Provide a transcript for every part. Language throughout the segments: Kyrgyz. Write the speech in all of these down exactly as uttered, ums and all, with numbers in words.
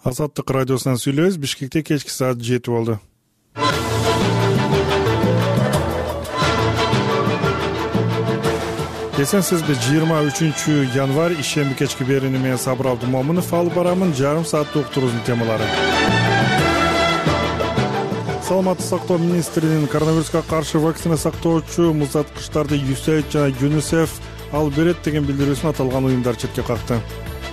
Азаттык радиосунан сүйлөбүз. Бишкекте кечки саат жети болду. Эсенсизби, жыйырма үчүнчү январь ишемби кечки берүүнү менен Сабыр Абдымомунов алып барамын. Жарым сааттык уктуруунун темалары. Саламаттык сактоо министринин коронавируска каршы вакцина сактоочу музаткычтарды ю эс эй жана ЮНИСЕФ алып берет деген билдирүүсүн аталган уюмдар четке какты.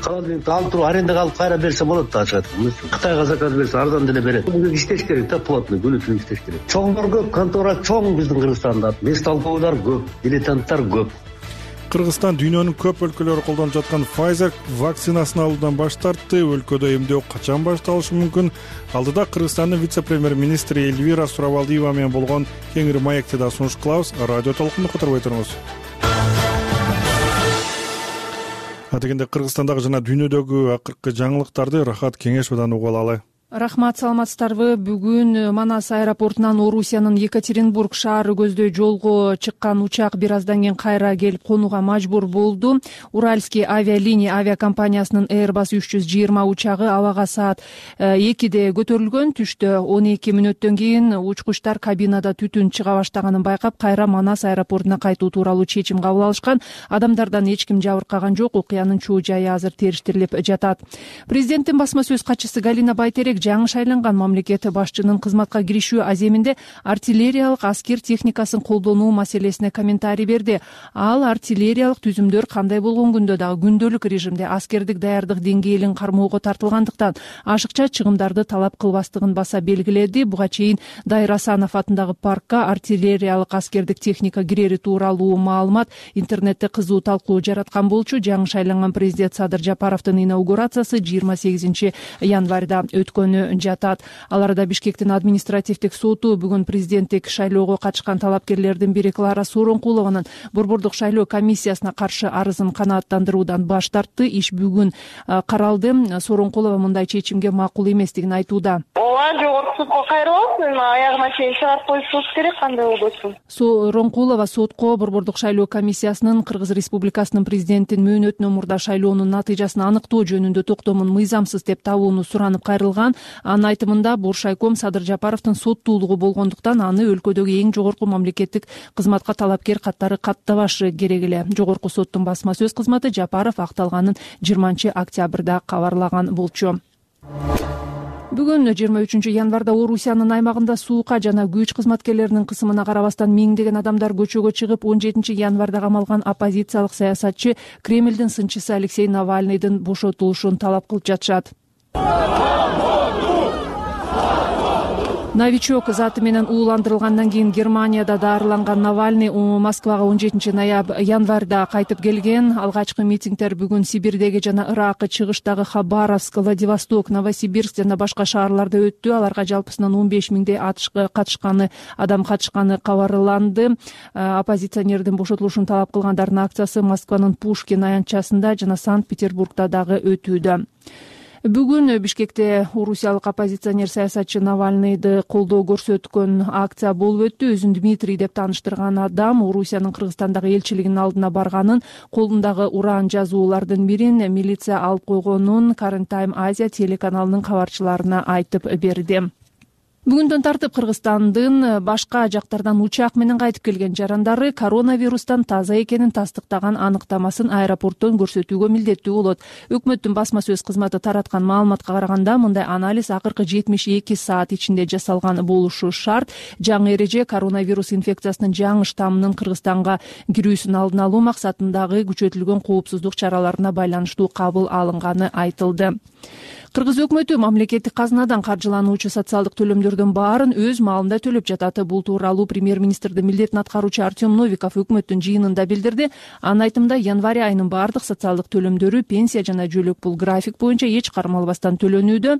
Холодильникти алып туруп арендага алып кайра берсе болот да, ачык айтканда. Кытайга заказ берсе арзан деле берет. Буга иштеш керек да, плотный, күнү түнү иштеш керек. Чоңдор көп, контора чоң биздин Кыргызстанда. Бестолковуйлар көп, дилетанттар көп. Кыргызстан дүйнөнүн көп өлкөлөрү колдонуп жаткан Pfizer вакцинасын алуудан баш тартты. Өлкөдө эмдөө качан башталышы мүмкүн? Алдыда Кыргызстандын вице-премьер-министри Эльвира Суравалдиева менен болгон кеңири маекти да сунуш кылабыз. Радио толкунду которбой туруңуз. Атегенде Кыргызстандагы жана дүйнөдөгү акыркы жаңылыктарды Рахат Кеңешовдон угуп алалы. Рахмат, саламатсыздарбы? Бүгүн Манас аэропортунан Орусиянын Екатеринбург шаары көздөй жолго чыккан учак бир аздан кийин кайра келип конууга мажбур болду. Уральский авиалиния авиакомпаниясынын Airbus үч жүз жыйырма учагы абага саат экиде көтөрүлгөн. Түштө он эки мүнөттөн кийин учкучтар кабинада түтүн чыга баштаганын байкап, кайра Манас аэропортуна кайтуу тууралуу чечим кабыл алышкан. Адамдардан эч ким жабыркаган жок. Окуянын чоо жайы азыр териштирилип жатат. Президенттин басма сөз катчысы Галина Байтерек жаңы шайланган мамлекет башчынын кызматка киришүү аземинде артиллериялык аскер техникасын колдонуу маселесине комментарий берди. Ал артиллериялык түзүмдөр кандай болгон күндө дагы күндөлүк режимде аскердик даярдык деңгээлин кармоого тартылгандыктан ашыкча чыгымдарды талап кылбастыгын баса белгиледи. Буга чейин Дайыр Асанов атындагы паркка артиллериялык аскердик техника кирери тууралуу маалымат интернетте кызуу талкуу жараткан болчу. Жаңы шайланган президент Садыр Жапаровдун инаугурациясы жыйырма сегизинчи январда өткөн жатат. Ал арада Бишкектин административдик соту бүгүн президенттик шайлоого катышкан талапкерлердин бири Клара Сооронкулованын борбордук шайлоо комиссиясына каршы арызын канааттандыруудан баш тартты. Иш бүгүн каралды. Сооронкулова мындай чечимге макул эместигин айтууда. Ооба, жогорку сотко кайрылып, аягына чейин чыгарып коюшубуз керек, кандай болбосун. Сооронкулова сотко борбордук шайлоо комиссиясынын Кыргыз Республикасынын президентин мөөнөтүнө мурда шайлоонун натыйжасын аныктоо жөнүндө токтомун мыйзамсыз деп табууну суранып кайрылган. Анын айтымында Буршайком Садыр Жапаровдун соттуулугу болгондуктан аны өлкөдөгү эң жогорку мамлекеттик кызматка талапкер каттары каттабашы керек эле. Жогорку соттун басма сөз кызматы Жапаров акталганын жыйырманчы октябрда кабарлаган болчу. Бүгүн жыйырма үчүнчү январда Орусиянын аймагында суука жана күч кызматкерлеринин кысымына карабастан миңдеген адамдар көчөгө чыгып, он жетинчи январда камалган оппозициялык саясатчы Кремлдин сынчысы Алексей Навальныйдын бошотулушун талап кылып жатышат. Новичок заты менен ууландырылгандан кийин Германияда даарыланган Навальный Москвага он жетинчи январда кайтып келген. Алгачкы митингдер бүгүн Сибирдеги жана Иракы чыгыштагы Хабаровск, Владивосток, Новосибирск жана башка шаарларда өттү. Аларга жалпысынан он беш миңдей катышканы адам катышканы кабарланды. Оппозиционердин бошотулушун талап кылгандардын акциясы Москванын Пушкин аянтчасында жана Санкт-Петербургда дагы өтүүдө. Бүгүн Бишкекте орусиялык оппозиционер саясатчы Навальныйды колдоо көрсөткөн акция болуп өттү. Өзүн Дмитрий деп тааныштырган адам Орусиянын Кыргызстандагы элчилигинин алдына барганын, колундагы уран жазуулардын бирин милиция алып койгонун Current Time Asia телеканалынын кабарчыларына айтып берди. Бүгүндөн тартып Кыргызстандын башка жактардан учак менен кайтып келген жарандары коронавирустан таза экенин тастыктаган аныктамасын аэропорттон көрсөтүүгө милдеттүү болот. Өкмөттүн басма сөз кызматы тараткан маалыматка караганда, мындай анализ акыркы жетимиш эки саат ичинде жасалган болушу шарт. Жаңы эреже коронавирус инфекциясынын жаңы штаммынын Кыргызстанга кирүүсүн алдын алуу максатындагы күчөтүлгөн коопсуздук чараларына байланыштуу кабыл алынганы айтылды. Кыргыз өкмөтү мамлекеттик казынадан каржылануучу социалдык төлөмдөрдүн баарын өз маалында төлөп жатат. Бул тууралуу премьер-министрдин милдетин аткаруучу Артем Новиков өкмөттүн жыйынында билдирди. Анын айтымында, январь айынын баардык социалдык төлөмдөрү пенсия жана жөлөк пул график боюнча эч кармалбастан төлөнүүдө.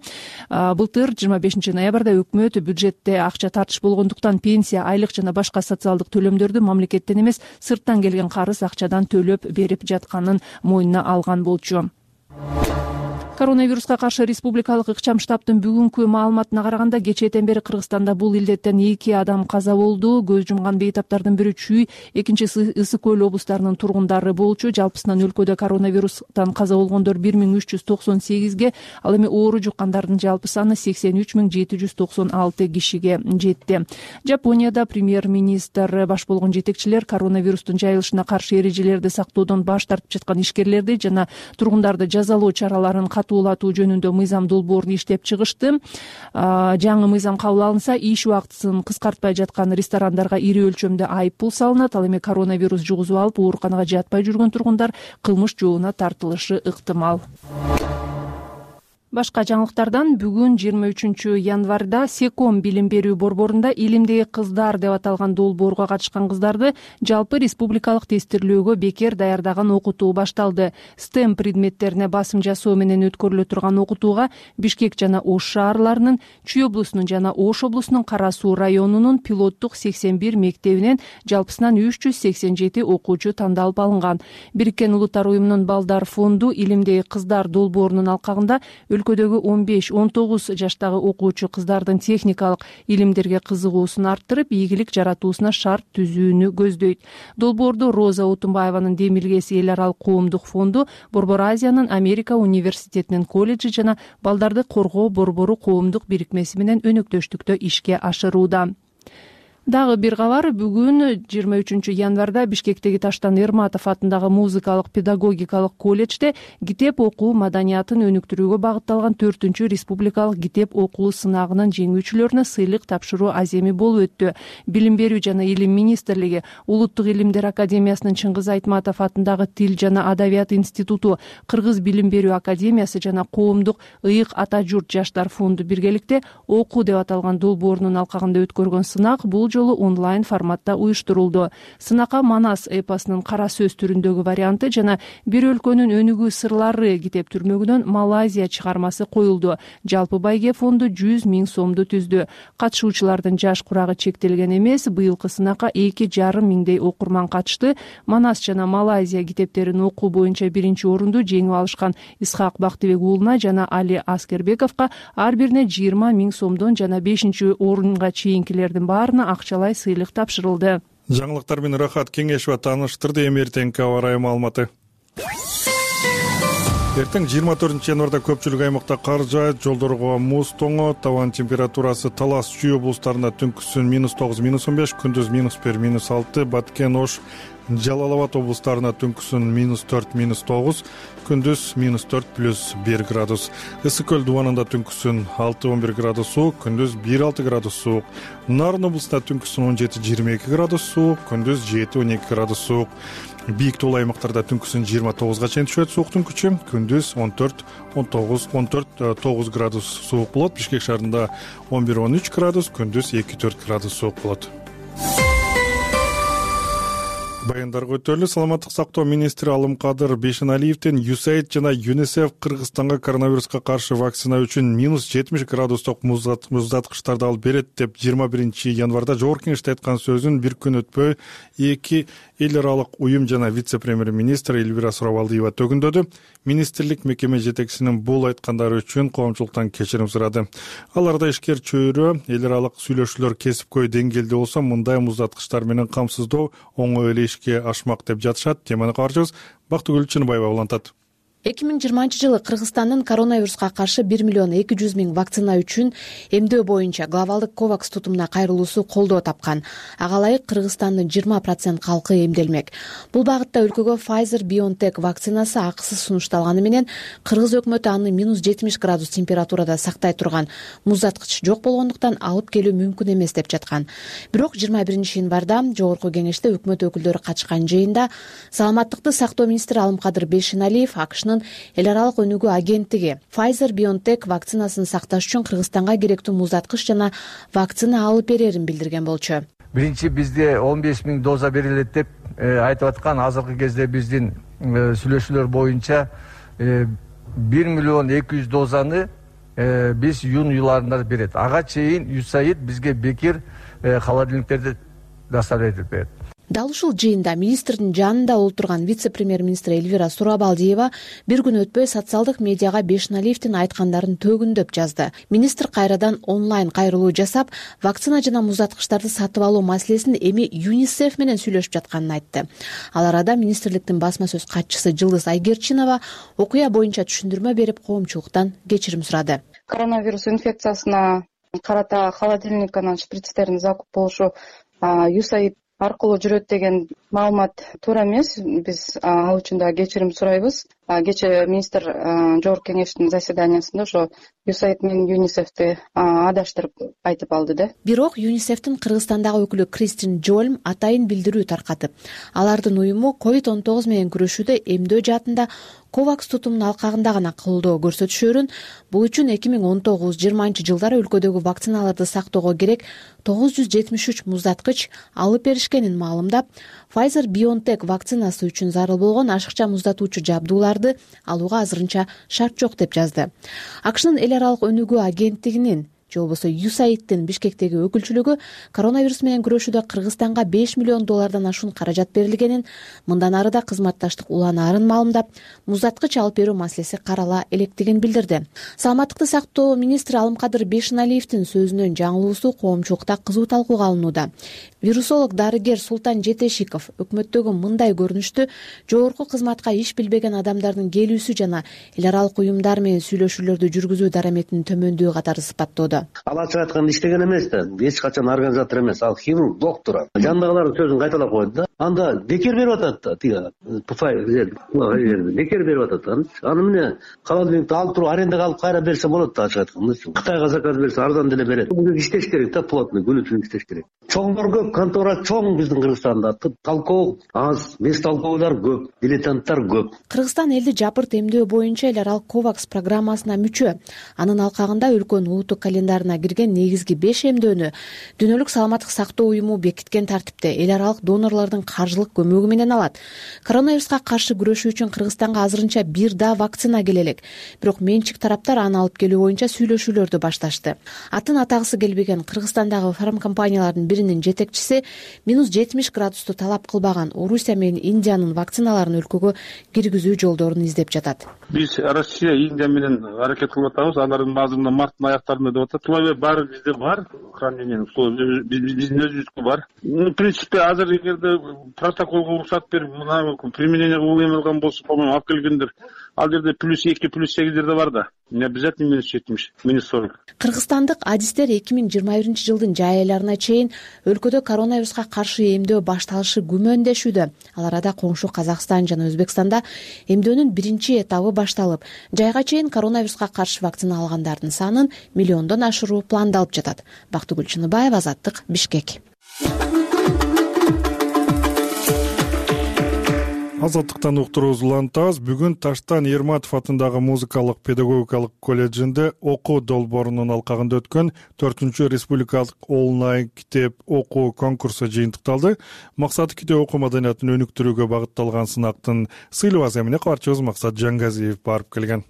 Былтыр жыйырма бешинчи ноябрда өкмөт бюджетте акча тартыш болгондуктан пенсия, айлык жана башка социалдык төлөмдөрдү мамлекеттен эмес, сырттан келген карыз акчадан төлөп берип жатканын мойнуна алган болчу. Коронавируска каршы республикалык ыкчам штабтын бүгүнкү маалыматына караганда кечээден бери Кыргызстанда бул илдеттен эки адам каза болду. Көз жумган бейтаптардын бири Чүй, экинчиси Ысык көл облустарынын тургундары болчу. Жалпысынан өлкөдө коронавирустан каза болгондор бир миң үч жүз токсон сегизге, ал эми оору жуккандардын жалпы саны сексен үч миң жети жүз токсон алты кишиге жетти. Жапонияда премьер-министр баш болгон жетекчилер коронавирустун жайылышына каршы эрежелерди сактоодон баш тартып жаткан ишкерлерди жана тургундарды жазалоо чараларын катуулатуу жөнүндө мыйзам долбоорун иштеп чыгышты. Жаңы мыйзам кабыл алынса, иш убактысын кыскартпай жаткан ресторандарга ири өлчөмдө айып пул салынат. Ал эми коронавирус жугузуп алып ооруканага жатпай жүргөн тургундар кылмыш жообуна тартылышы ыктымал. Башка жаңылыктардан бүгүн жыйырма үчүнчү январда Секом билим берүү борборунда илимдеги кыздар деп аталган долбоорго катышкан кыздарды жалпы республикалык тестирлөөгө бекер даярдаган окутуу башталды. стем предметтерине басым жасоо менен өткөрүлө турган окутууга Бишкек жана Ош шаарларынын, Чүй облусунун жана Ош облусунун Кара Суу районунун пилоттук сексен бир мектебинен жалпысынан үч жүз сексен жети окуучу тандалып алынган. Бириккен Улуттар уюмунун Балдар фонду илимдеги кыздар долбоорунун алкагында өлкөдөгү он беш он тогуз жаштагы окуучу кыздардын техникалык илимдерге кызыгуусун арттырып, ийгилик жаратуусуна шарт түзүүнү көздөйт. Долбоорду Роза Отунбаеванын Демилгеси эл аралык коомдук фонду, Борбор Азиянын Америка университетинин колледжи жана Балдарды коргоо борбору коомдук бирикмеси менен өнөктөштүктө ишке ашырууда. Дагы бир кабар, бүгүн жыйырма үчүнчү январда Бишкектеги Таштан Эрматов атындагы музыкалык педагогикалык колледжде китеп окуу маданиятын өнүктүрүүгө багытталган төртүнчү республикалык китеп окуу сынагынын жеңүүчүлөрүнө сыйлык тапшыруу аземи болуп өттү. Билим берүү жана илим министрлиги, Улуттук илимдер академиясынын Чыңгыз Айтматов атындагы Тил жана Адабият институту, Кыргыз билим берүү академиясы жана коомдук ыйык ата журт жаштар фонду биргеликте окуу деп аталган долбоорунун алкагында өткөргөн сынак бул жолу онлайн форматта уюштурулду. Сынакка Манас эпосунун кара сөз түрүндөгү варианты жана бир өлкөнүн өнүгүү сырлары китеп түрмөгүнөн Малайзия чыгармасы коюлду. Жалпы байге фонду жүз миң сомду түздү. Катышуучулардын жаш курагы чектелген эмес. Быйылкы сынакка эки жарым миңдей окурман катышты. Манас жана Малайзия китептерин окуу боюнча биринчи орунду жеңип алышкан Исхак Бактыбек уулуна жана Али Аскербековго ар бирине жыйырма миң сомдон жана бешинчи орунга чейинкилердин баарына акчалай сыйлык тапшырылды. Жаңылыктар менен Рахат Кеңешова тааныштырды. Эми эртеңки аба ырайы маалыматы. Эртең жыйырма төртүнчү январда көпчүлүк аймакта кар жаат, жолдорго муз тоңот. Табан температурасы Талас, Чүй облустарында түнкүсүн минус тогуз минус он беш, күндүз минус бир минус алты, Баткен, Ош, Жалал Абад облустарына түнкүсүн минус төрт минус тогуз, күндүз минус төрт плюс бир градус. Ысык көл дубанында түнкүсүн алты он бир градус суук, күндүз бир алты градус суук. Нарын облусунда түнкүсүн он жети жыйырма эки градус суук, күндүз жети он эки градус суук. Бийик тоолуу аймактарда түнкүсүн жыйырма тогузга чейин түшөт сууктун күчү, күндүз он төрт он тогуз он төрт тогуз градус суук болот. Бишкек шаарында он бир он үч градус, күндүз эки төрт градус суук болот. Баяндарга өтөлү. Саламаттык сактоо министри Алымкадыр Бейшеналиевдин ю эс эй ай ди жана ЮНИСЕФ Кыргызстанга коронавируска каршы вакцина үчүн минус жетимиш градустук муздаткычтарды алып берет деп жыйырма биринчи январда жогорку кеңеште айткан сөзүн бир күн өтпөй эки эл аралык уюм жана вице-премьер-министр Эльвира Суравалдиева төгүндөдү. Министрлик мекеме жетекчисинин бул айткандары үчүн коомчулуктан кечирим сурады. Аларда ишкер чөйрө эл аралык сүйлөшүүлөр кесипкөй деңгээлде болсо, мындай муздаткычтар менен камсыздоо оңой эле ишке ашмак деп жатышат. Теманы кабарчыбыз Бактыгүл Чыныбаева улантат. эки миң жыйырманчы жылы Кыргызстандын коронавируска каршы бир миллион эки жүз миң вакцина үчүн эмдөө боюнча глобалдык ковакс тутумуна кайрылуусу колдоо тапкан. Ага ылайык Кыргызстандын жыйырма процент калкы эмделмек. Бул багытта өлкөгө Pfizer-BioNTech вакцинасы акысыз сунушталганы менен кыргыз өкмөтү аны минус жетимиш градус температурада сактай турган муздаткыч жок болгондуктан алып келүү мүмкүн эмес деп жаткан. Бирок жыйырма биринчи январда жогорку кеңеште өкмөт өкүлдөрү катышкан жыйында саламаттыкты сактоо министри Алымкадыр Бейшеналиев АКШнын эл аралык өнүгүү агенттиги Pfizer-BioNTech вакцинасын сакташ үчүн Кыргызстанга керектүү муздаткыч жана вакцина алып берерин билдирген болчу. Биринчи бизде он беш миң доза берилет деп айтып аткан. Азыркы кезде биздин сүйлөшүүлөр боюнча бир миллион эки жүз дозаны биз июнь айларында берет. Ага чейин ю эс эй ай ди бизге бекер холодильниктерди доставлять этип берет. Дал ушул жыйында министрдин жанында олтурган вице-премьер-министр Эльвира Сурабалдиева бир күн өтпөй социалдык медиага Бешеналиевдин айткандарын төгүндөп жазды. Министр кайрадан онлайн кайрылуу жасап, вакцина жана муздаткычтарды сатып алуу маселесин эми ЮНИСЕФ менен сүйлөшүп жатканын айтты. Ал арада министрликтин басма сөз катчысы Жылдыз Айгерчинова окуя боюнча түшүндүрмө берип, коомчулуктан кечирим сурады. Коронавирус инфекциясына карата холодильник анан шприцтердин закуп болушу ЮСАИД аркылуу жүрөт деген маалымат туура эмес. Биз ал үчүн да кечирим сурайбыз. Кечээ министр жогорку кеңештин заседаниясында ошо ЮСАИД менен ЮНИСЕФти адаштырып айтып алды да. Бирок ЮНИСЕФтин Кыргызстандагы өкүлү Кристин Джольм атайын билдирүү таркатып, алардын уюму ковид он тогуз менен күрөшүүдө эмдөө жаатында ковакс тутумунун алкагында гана колдоо көрсөтүшөрүн, бул үчүн эки миң он тогуз жыйырманчы жылдары өлкөдөгү вакциналарды сактоого керек тогуз жүз жетимиш үч муздаткыч алып беришкенин маалымдап, Pfizer-BioNTech вакцинасы үчүн зарыл болгон ашыкча муздатуучу жабдууларды алууга азырынча шарт жок деп жазды. АКШнын эл аралык өнүгүү агенттигинин же болбосо ЮСАИДтин Бишкектеги өкүлчүлүгү коронавирус менен күрөшүүдө Кыргызстанга беш миллион доллардан ашуун каражат берилгенин, мындан ары да кызматташтык уланаарын маалымдап, муздаткыч алып берүү маселеси карала электигин билдирди. Саламаттыкты сактоо министри Алымкадыр Бешеналиевдин сөзүнөн жаңылуусу коомчулукта кызуу талкууга алынууда. Вирусолог дарыгер Султан Жетешиков өкмөттөгү мындай көрүнүштү жогорку кызматка иш билбеген адамдардын келүүсү жана эл аралык уюмдар менен сүйлөшүүлөрдү жүргүзүү дараметинин төмөндүгү катары сыпаттоодо. Ал ачык айтканда иштеген эмес да, эч качан организатор эмес, ал хирург, доктор. Жандагылардын сөзүн кайталап койду да. Анда бекер берип атат да, тиги бекер берип атат. Аны эмне холодильникти алып туруп арендага алып кайра берсе болот да, ачык айтканда. Кытайга заказ берсе арзан деле берет. Буга иштеш керек да, плотный, күнү түнү иштеш керек. Чоңдор көп, контора чоң биздин Кыргызстанда. Талкоо аз, бес талкоолор көп, дилетанттар көп. Кыргызстан элди жапырт эмдөө боюнча эл аралык ковакс программасына мүчө. Анын алкагында өлкөнүн улуттук календарына кирген негизги беш эмдөөнү Дүйнөлүк саламаттык сактоо уюму бекиткен тартипте эл аралык донорлордун каржылык көмөгү менен алат. Коронавируска каршы күрөшүү үчүн Кыргызстанга азырынча бир да вакцина келе элек. Бирок менчик тараптар аны алып келүү боюнча сүйлөшүүлөрдү башташты. Атын атагысы келбеген Кыргызстандагы фармкомпаниялардын биринин жетекчиси минус жетимиш градусту талап кылбаган Орусия менен Индиянын вакциналарын өлкөгө киргизүү жолдорун издеп жатат. Биз Россия, Индия менен аракет кылып атабыз. Алардын баазында марттын аяктарында деп атат. Условия баары бизде бар. Хранение условия биздин өзүбүзгө бар. В принципе, азыр эгерде протоколго уруксат берип, мына применение кылып эмелган болсо, по-моему, алып келгендер. Ал жерде плюс эки, плюс сегиздерде бар да. Не обязательно минус жетимиш, минус сорок. Кыргызстандык адистер эки миң жыйырма биринчи жылдын жай айларына чейин өлкөдө коронавируска каршы эмдөө башталышы күмөндөшүүдө. Ал арада коңшу Казакстан жана Өзбекстанда эмдөөнүн биринчи этабы башталып, жайга чейин коронавируска каршы вакцина алгандардын санын миллиондон ашыруу пландалып жатат. Бактыгүл Чыныбаева, Азаттык, Бишкек. Азаттыктан уктуруубузду улантабыз. Бүгүн Таштан Ерматов атындагы музыкалык педагогикалык колледжинде окуу долбоорунун алкагында өткөн төртүнчү республикалык онлайн китеп окуу конкурсу жыйынтыкталды. Максаты китеп окуу маданиятын өнүктүрүүгө багытталган сынактын сыйлыгы эмне кабарчыбыз Максат Жангазиев барып келген.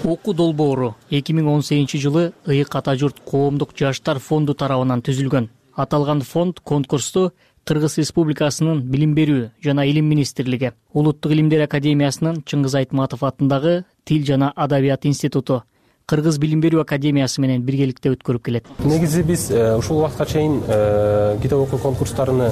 Окуу долбоору эки миң он сегизинчи жылы Ыйык ата журт коомдук жаштар фонду тарабынан түзүлгөн. Аталган фонд конкурсту Кыргыз Республикасынын Билим берүү жана Илим министрлиги, Улуттук илимдер академиясынын Чыңгыз Айтматов атындагы Тил жана Адабият институту, Кыргыз Билим берүү академиясы менен биргеликте өткөрүп келет. Негизи биз ушул убакытка чейин китеп окуу конкурстарыны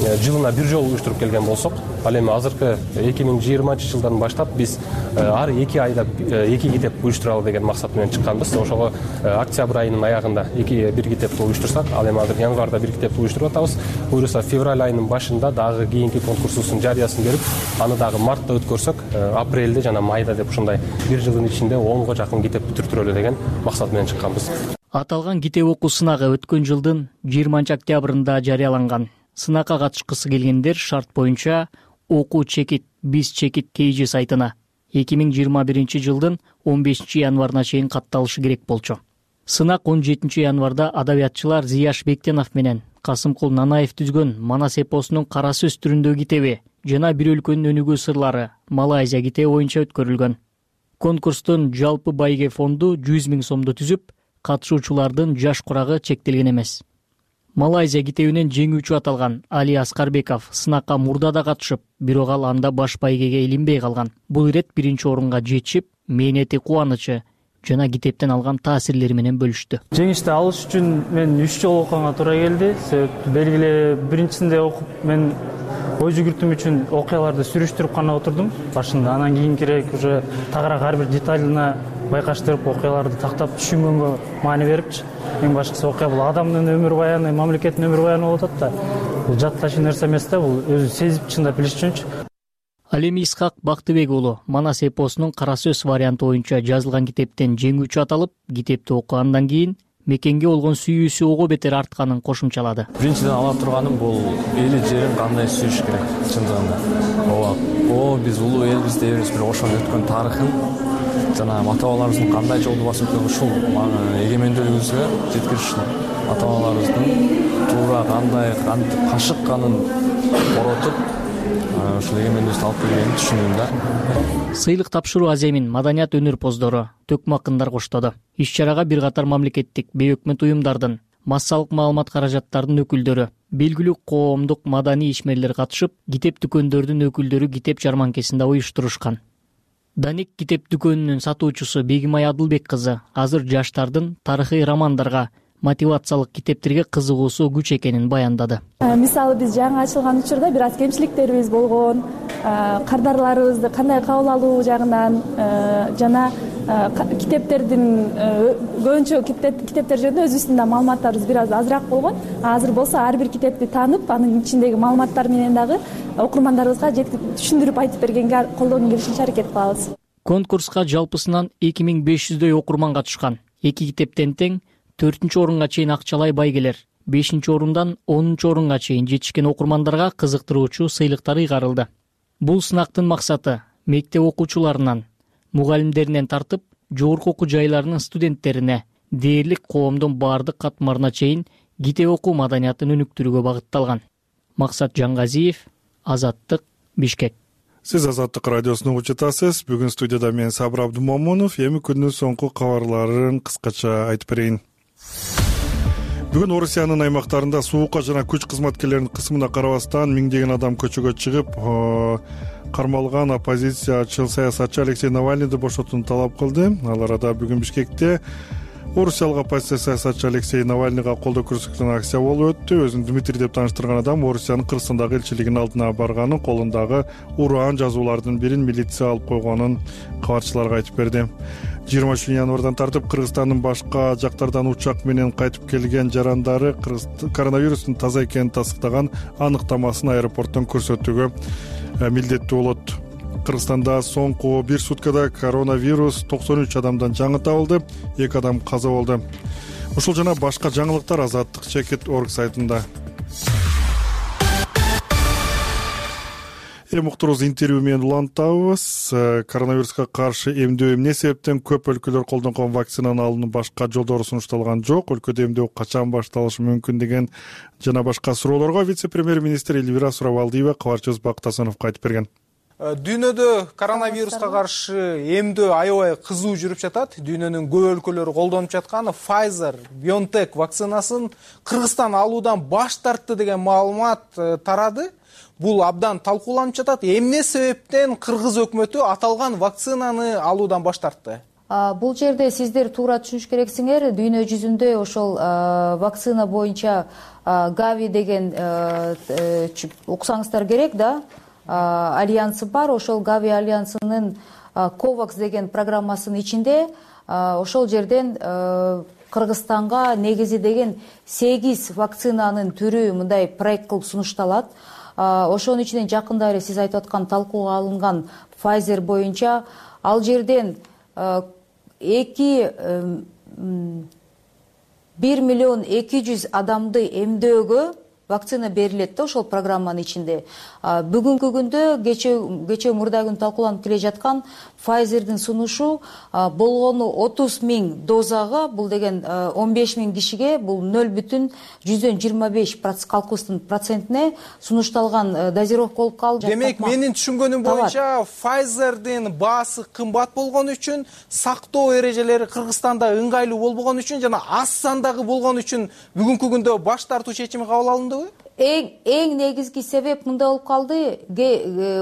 жылына бир жолу уюштуруп келген болсок, ал эми азыркы эки миң жыйырманчы жылдан баштап биз ар эки айда эки китеп уюштуралы деген максат менен чыкканбыз. Ошого октябрь айынын аягында эки бир китепти уюштурсак, ал эми азыр январда бир китепти уюштуруп атабыз. Буюрса февраль айынын башында дагы кийинки конкурсубуздун жарыясын берип, аны дагы мартта өткөрсөк, апрелде жана майда деп ушундай бир жылдын ичинде онго жакын китепти бүтүртүрөлү деген максат менен чыкканбыз. Аталган китеп окуу сынагы өткөн жылдын жыйырманчы октябрында жарыяланган. Сынакка катышкысы келгендер шарт боюнча окуу чекит биз чекит kg сайтына эки миң жыйырма биринчи жылдын он бешинчи январына чейин катталышы керек болчу. Сынак он жетинчи январда адабиятчылар Зияш Бектенов менен Касымкул Нанаев түзгөн Манас эпосунун кара сөз түрүндөгү китеби жана бир өлкөнүн өнүгүү сырлары Малайзия китеби боюнча өткөрүлгөн. Конкурстун жалпы байге фонду жүз миң сомду түзүп, катышуучулардын жаш курагы чектелген эмес. Малайзия китебинен жеңүүчү аталган Али Аскарбеков сынакка мурда да катышып, бирок ал анда баш байгеге илинбей калган. Бул ирет биринчи орунга жетишип, мээнети, кубанычы жана китептен алган таасирлери менен бөлүштү. Жеңишти алыш үчүн мен үч жолу окуганга туура келди. Себеп белгиле биринчисинде окуп мен ой жүгүртүүм үчүн окуяларды сүрүштүрүп гана отурдум башында. Анан кийинкирээк уже тагыраак ар бир деталына байкаштырып, окуяларды тактап түшүнгөнгө маани берипчи. Эң башкысы окуя бул адамдын өмүр баяны, мамлекеттин өмүр баяны болуп атат да. Бул жатташуу нерсе эмес да, бул өзү сезип чындап билиш үчүнчү. Ал эми Исхак Бактыбек уулу Манас эпосунун кара сөз варианты боюнча жазылган китептен жеңүүчү аталып, китепти окугандан кийин мекенге болгон сүйүүсү ого бетер артканын кошумчалады. Биринчиден ала турганым бул эли жерин кандай сүйүш керек чындыгында. Ооба, о биз улуу элбиз дейбиз, бирок ошонун өткөн тарыхын жана ата бабаларыбыздын кандай жолду басып өткөн ушул эгемендүүлүгүбүзгө жеткириш ата бабаларыбыздын туура кандай кантип кашыкканын коротуп ушул эгемендүүлүктү алып келгенин түшүндүм да. Сыйлык тапшыруу аземин маданият өнөрпоздору, төкмө акындар коштоду. Иш-чарага бир катар мамлекеттик, бейөкмөт уюмдардын, массалык маалымат каражаттарынын өкүлдөрү, белгилүү коомдук маданий ишмерлер катышып, китеп дүкөндөрдүн өкүлдөрү китеп жарманкесинде уюштурушкан. Даник китеп дүкөнүнүн сатуучусу Бегимай Адылбек кызы азыр жаштардын тарыхый романдарга, мотивациялык китептерге кызыгуусу күч экенин баяндады. Мисалы биз жаңы ачылган учурда бир аз кемчиликтерибиз болгон, кардарларыбызды кандай кабыл алуу жагынан жана китептердин көбүнчө китептер жөнүндө өзүбүздүн да маалыматтарыбыз бир аз азыраак болгон. Азыр болсо ар бир китепти таанып, анын ичиндеги маалыматтар менен дагы окурмандарыбызга түшүндүрүп айтып бергенге колдоодон келишинче аракет кылабыз. Конкурска жалпысынан эки миң беш жүздөй окурман катышкан. Эки китептен тең төртүнчү орунга чейин акчалай байгелер, бешинчи орундан онунчу орунга чейин жетишкен окурмандарга кызыктыруучу сыйлыктар ыйгарылды. Бул сынактын максаты мектеп окуучуларынан, мугалимдеринен тартып, жогорку окуу жайларынын студенттерине, дээрлик коомдун баардык катмарына чейин китеп окуу маданиятын өнүктүрүүгө багытталган. Максат Жангазиев, Азаттык, Бишкек. Сиз Азаттык радиосун угуп жатасыз. Бүгүн студияда мен Сабыр Абдумомунов. Эми күндүн соңку кабарларын кыскача айтып берейин. Бүгүн Орусиянын аймактарында суукка жана күч кызматкерлеринин кысымына карабастан миңдеген адам көчөгө чыгып, кармалган оппозициячыл саясатчы Алексей Навальныйды бошотууну талап кылды. Ал арада бүгүн Бишкекте орусиялык оппозиция саясатчы Алексей Навальныйга колдоо көрсөткөн акция болуп өттү. Өзүн Дмитрий деп тааныштырган адам Орусиянын Кыргызстандагы элчилигинин алдына барганын, колундагы ураан жазуулардын бирин милиция алып койгонун кабарчыларга айтып берди. жыйырма үчүнчү январдан тартып Кыргызстандын башка жактардан учак менен кайтып келген жарандары коронавирустун таза экенин тастыктаган аныктамасын аэропорттон көрсөтүүгө милдеттүү болот. Кыргызстанда соңку бир суткада коронавирус токсон үч адамдан жаңы табылды, эки адам каза болду. Ушул жана башка жаңылыктар азаттык чекит точка орг сайтында. Эми уктурубуз интервью менен улантабыз. Коронавируска каршы эмдөө эмне себептен көп өлкөлөр колдонгон вакцинаны алуунун башка жолдору сунушталган жок? Өлкөдө эмдөө качан башталышы мүмкүн деген жана башка суроолорго вице-премьер-министр Эльвира Сурабалдиева кабарчыбыз Бактасыновго айтып берген. Дүйнөдө коронавируска каршы эмдөө аябай кызуу жүрүп жатат. Дүйнөнүн көп өлкөлөрү колдонуп жаткан Pfizer, BioNTech вакцинасын Кыргызстан алуудан баш тартты деген маалымат тарады. Бул абдан талкууланып жатат. Эмне себептен кыргыз өкмөтү аталган вакцинаны алуудан баш тартты? Бул жерде сиздер туура түшүнүш керексиңер. Дүйнө жүзүндө ошол вакцина боюнча Gavi деген уксаңыздар керек да, альянсы бар. Ошол Gavi альянсынын COVAX деген программасынын ичинде ошол жерден Кыргызстанга негизи деген сегиз вакцинанын түрү мындай проект кылып сунушталат. Ошонун ичинен жакында эле сиз айтып аткан талкууга алынган Pfizer боюнча ал жерден эки бир миллион эки жүз адамды эмдөөгө вакцина берилет да ошол программанын ичинде. Бүгүнкү күндө кече кече мурда күн талкууланып келе жаткан Pfizer'дин сунушу болгону отуз миң дозага, бул деген он беш миң кишиге, бул нөл бүтүн жүздөн жыйырма беш калкыбыздын процентине сунушталган дозировка болуп калды. Демек, менин түшүнгөнүм боюнча Pfizer'дин баасы кымбат болгон үчүн, сактоо эрежелери Кыргызстанда ыңгайлуу болбогон үчүн жана аз сандагы болгон үчүн бүгүнкү күндө баш тартуу чечими кабыл алындыбы? Эң эң негизги себеп мындай болуп калды.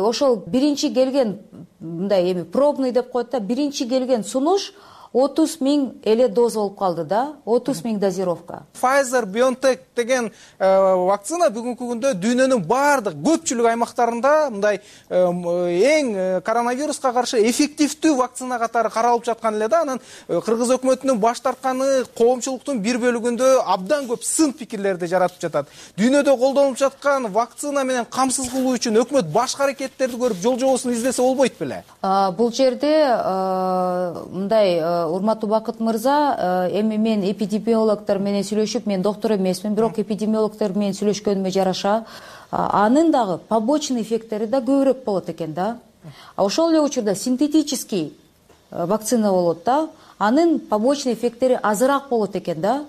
Ошол биринчи келген мындай эми пробный деп коет да, биринчи келген сунуш отуз миң эле доза болуп калды да, отуз миң дозировка. Pfizer BioNTech деген вакцина бүгүнкү күндө дүйнөнүн баардык көпчүлүк аймактарында мындай эң коронавируска каршы эффективдүү вакцина катары каралып жаткан эле да. Анан Кыргыз өкмөтүнүн баш тартканы коомчулуктун бир бөлүгүндө абдан көп сын пикирлерди жаратып жатат. Дүйнөдө колдонулуп жаткан вакцина менен камсыз кылуу үчүн өкмөт башка аракеттерди көрүп жол жобосун издесе болбойт беле? Бул жерде мындай урматтуу Бакыт мырза, эми мен эпидемиологдор менен сүйлөшүп, мен доктор эмесмин, бирок эпидемиологдор менен сүйлөшкөнүмө жараша, анын дагы побочный эффекттери да көбүрөөк болот экен да. Ошол эле учурда синтетический вакцина болот да, анын побочный эффекттери азыраак болот экен да.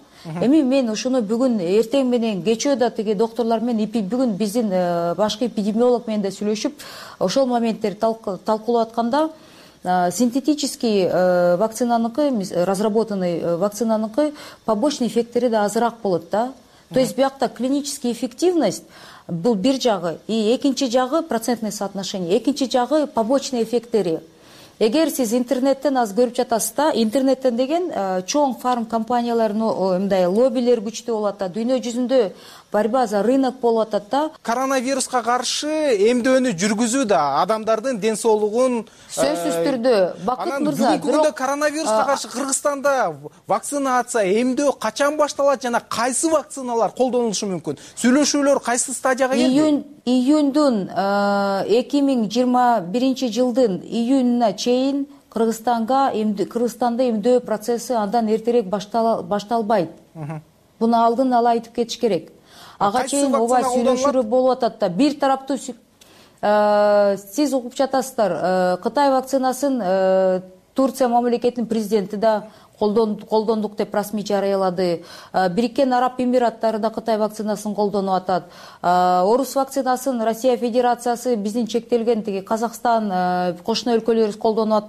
Эми мен ошону бүгүн эртең менен кечөө да тиги доктурлар менен бүгүн биздин башкы эпидемиолог менен да сүйлөшүп, ошол моменттерди талкуулап атканда, синтетический вакцинаныкы, разработанный вакцинаныкы побочный эффекттери да азыраак болот да. То есть биякта клинический эффективность бул бир жагы, и экинчи жагы процентное соотношение, экинчи жагы побочный эффекттери. Эгер сиз интернеттен аз көрүп жатасыз да, интернеттен деген чоң фарм компаниялардын мындай лоббилери күчтүү болуп атат, дүйнө жүзүндө борьба за рынок болуп атат да. Коронавируска каршы эмдөөнү жүргүзүү да адамдардын ден соолугун сөзсүз түрдө. Бакыт мырза, бүгүнкү күндө коронавируска каршы Кыргызстанда вакцинация, эмдөө качан башталат жана кайсы вакциналар колдонулушу мүмкүн? Сүйлөшүүлөр кайсы стадияга келди? Июндун эки миң жыйырма биринчи жылдын июнуна чейин Кыргызстанга Кыргызстанда эмдөө процесси андан эртерээк башталбайт. Буну алдын ала айтып кетиш керек. Ага чейин ооба сүйлөшүүлөр болуп атат да. Бир тараптуу сиз угуп жатасыздар, Кытай вакцинасын Турция мамлекетинин президенти да колдондук деп расмий жарыялады. Бириккен Араб Эмираттары да Кытай вакцинасын колдонуп атат. Орус вакцинасын Россия Федерациясы биздин чектелген тиги Казакстан, кошуна өлкөлөрүбүз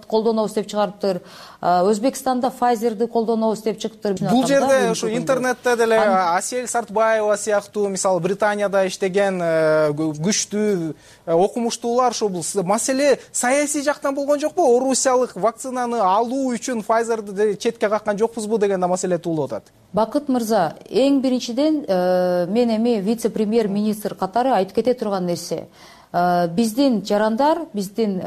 колдонобуз деп чыгарыптыр. Өзбекстанда Pfizer'ди колдонобуз деп чыктыр. Бул жерде ушу интернетте деле Асель Сартбаева сыяктуу, мисалы Британияда иштеген күчтүү окумуштуулар ушу бул маселе саясий жактан болгон жокпу? Орусиялык вакцинаны алуу үчүн Pfizer'ди четке каккан жокпузбу деген да маселе туулуп атат. Бакыт мырза, эң биринчиден мен эми вице-премьер-министр катары айтып кете турган нерсе. Биздин жарандар, биздин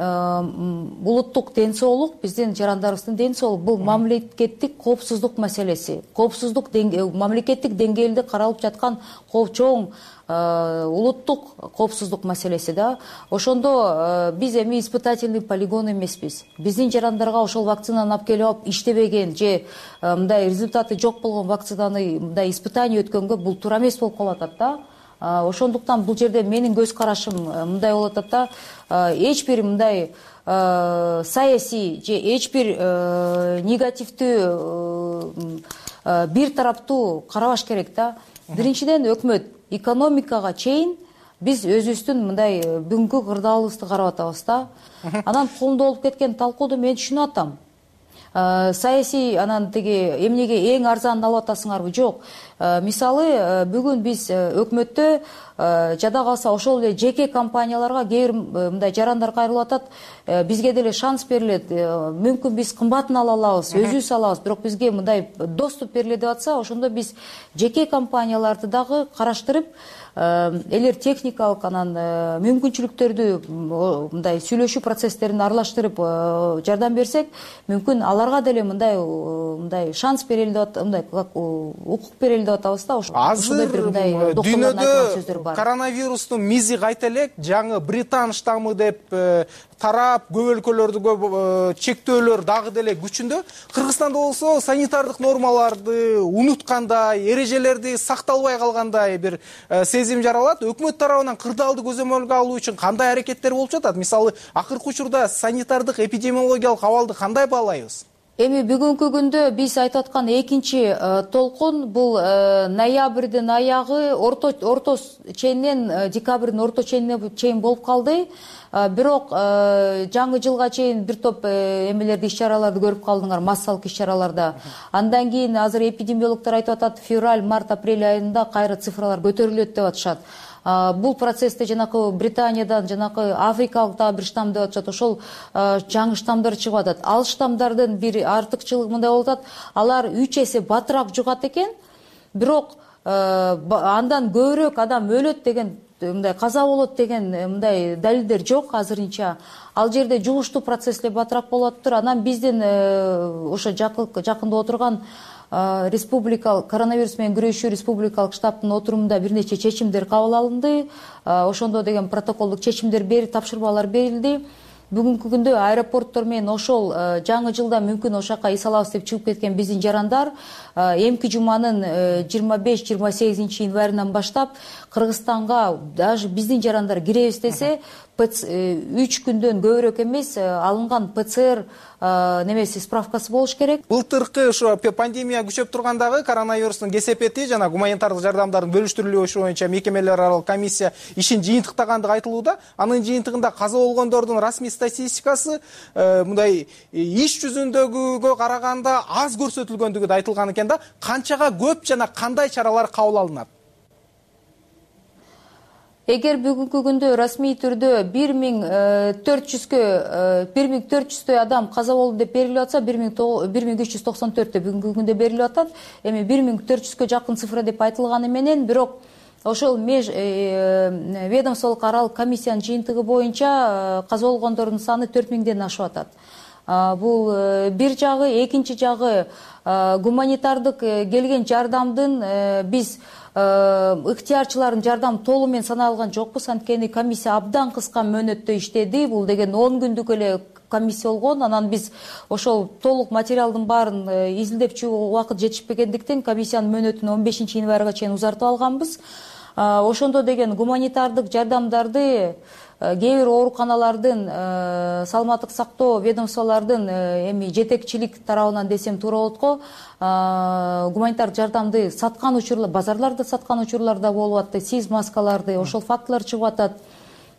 улуттук ден соолук, биздин жарандарыбыздын ден соолугу бул мамлекеттик коопсуздук маселеси. Коопсуздук мамлекеттик деңгээлде каралып жаткан чоң улуттук коопсуздук маселеси да. Ошондо биз эми испытательный полигон эмеспиз. Биздин жарандарга ошол вакцинаны алып келип алып иштебеген же мындай результаты жок болгон вакцинаны мындай испытание өткөнгө бул туура эмес болуп калып атат да. Ошондуктан бул жерде менин көз карашым мындай болуп атат да, эч бир мындай саясий же эч бир негативдүү бир тараптуу карабаш керек да. Биринчиден өкмөт экономикага чейин биз өзүбүздүн мындай бүгүнкү кырдаалыбызды карап атабыз да. Анан колунда болуп кеткен талкууду мен түшүнүп атам. Саясий анан тиги эмнеге эң арзанын алып атасыңарбы? Жок. Мисалы, бүгүн биз өкмөттө жада калса ошол эле жеке компанияларга кээ бир мындай жарандар кайрылып атат. Бизге деле шанс берилет. Мүмкүн биз кымбатын ала алабыз, өзүбүз алабыз, бирок бизге мындай доступ берилет деп атса, ошондо биз жеке компанияларды дагы караштырып, элер техникалык анан мүмкүнчүлүктөрдү мындай сүйлөшүү процесстерин аралаштырып жардам берсек, мүмкүн аларга деле мындай мындай шанс берели деп мындай укук берели деп атабыз да. Азыр дүйнөдө коронавирустун мизи кайта элек жаңы британ штаммы деп тарап, көп өлкөлөрдө көп чектөөлөр дагы деле күчүндө. Кыргызстанда болсо санитардык нормаларды унуткандай, эрежелерди сакталбай калгандай бир сезим сезим жаралат. Өкмөт тарабынан кырдаалды көзөмөлгө алуу үчүн кандай аракеттер болуп жатат? Мисалы, акыркы учурда санитардык эпидемиологиялык абалды кандай баалайбыз? Эми бүгүнкү күндө биз айтып аткан экинчи толкун бул ноябрдын аягы орто орто ченинен декабрдын орто ченине чейин болуп калды. Бирок жаңы жылга чейин бир топ эмелерди, иш-чараларды көрүп калдыңар, массалык иш-чараларда. Андан кийин азыр эпидемиологдор айтып атат, февраль, март, апрель айында кайра цифралар көтөрүлөт деп атышат. Бул процессте жанакы Британиядан, жанакы африкалык дагы бир штамм деп атышат. Ошол жаңы штаммдар чыгып атат. Ал штаммдардын бир артыкчылыгы мындай болуп атат. Алар үч эсе батыраак жугат экен. Бирок андан көбүрөөк адам өлөт деген, мындай каза болот деген мындай далилдер жок азырынча. Ал жерде жугуштуу процесслер батыраак болуп атыптыр. Анан биздин ошо жакында отурган республикалык коронавирус менен күрөшүү республикалык штабтын отурумунда бир нече чечимдер кабыл алынды. Ошондо деген протоколдук чечимдер берилип, тапшырмалар берилди. Бүгүнкү күндө аэропорттор менен ошол жаңы жылда мүмкүн ошака эс алабыз деп чыгып кеткен биздин жарандар эмки жуманын жыйырма беш жыйырма сегизинчи январынан баштап Кыргызстанга даже биздин жарандар киребиз десе үч күндөн көбүрөөк эмес алынган ПЦР немеси справкасы болуш керек. Былтыркы ошо пандемия күчөп тургандагы коронавирустун кесепети жана гуманитардык жардамдардын бөлүштүрүлүшү боюнча мекемелер аралык комиссия ишин жыйынтыктагандыгы айтылууда. Анын жыйынтыгында каза болгондордун расмий статистикасы мындай иш жүзүндөгүгө караганда аз көрсөтүлгөндүгү да айтылган экен да. Канчага көп жана кандай чаралар кабыл алынат? Эгер бүгүнкү күндө расмий түрдө бир миң төрт жүздөй адам каза болду деп берилип атса, бир миң үч жүз токсон төрттө бүгүнкү күндө берилип атат. Эми бир миң төрт жүзгө жакын цифра деп айтылганы менен, бирок ошол меж ведомстволук аралык комиссиянын жыйынтыгы боюнча каза болгондордун саны төрт миңден ашып атат. Бул бир жагы, экинчи жагы гуманитардык келген жардамдын биз ыктыярчылардын жардамы толугу менен саналган жокпуз. Анткени комиссия абдан кыска мөөнөттө иштеди. Бул деген он күндүк эле комиссия болгон. Анан биз ошол толук материалдын баарын изилдеп чыгууга убакыт жетишпегендиктен комиссиянын мөөнөтүн он бешинчи январга чейин узартып алганбыз. Ошондо деген гуманитардык жардамдарды кээ бир ооруканалардын, саламаттык сактоо ведомстволордун эми жетекчилик тарабынан десем туура болот го, гуманитардык жардамды саткан учурлар, базарларда саткан учурлар да болуп атты, сиз маскаларды, ошол фактылар чыгып атат.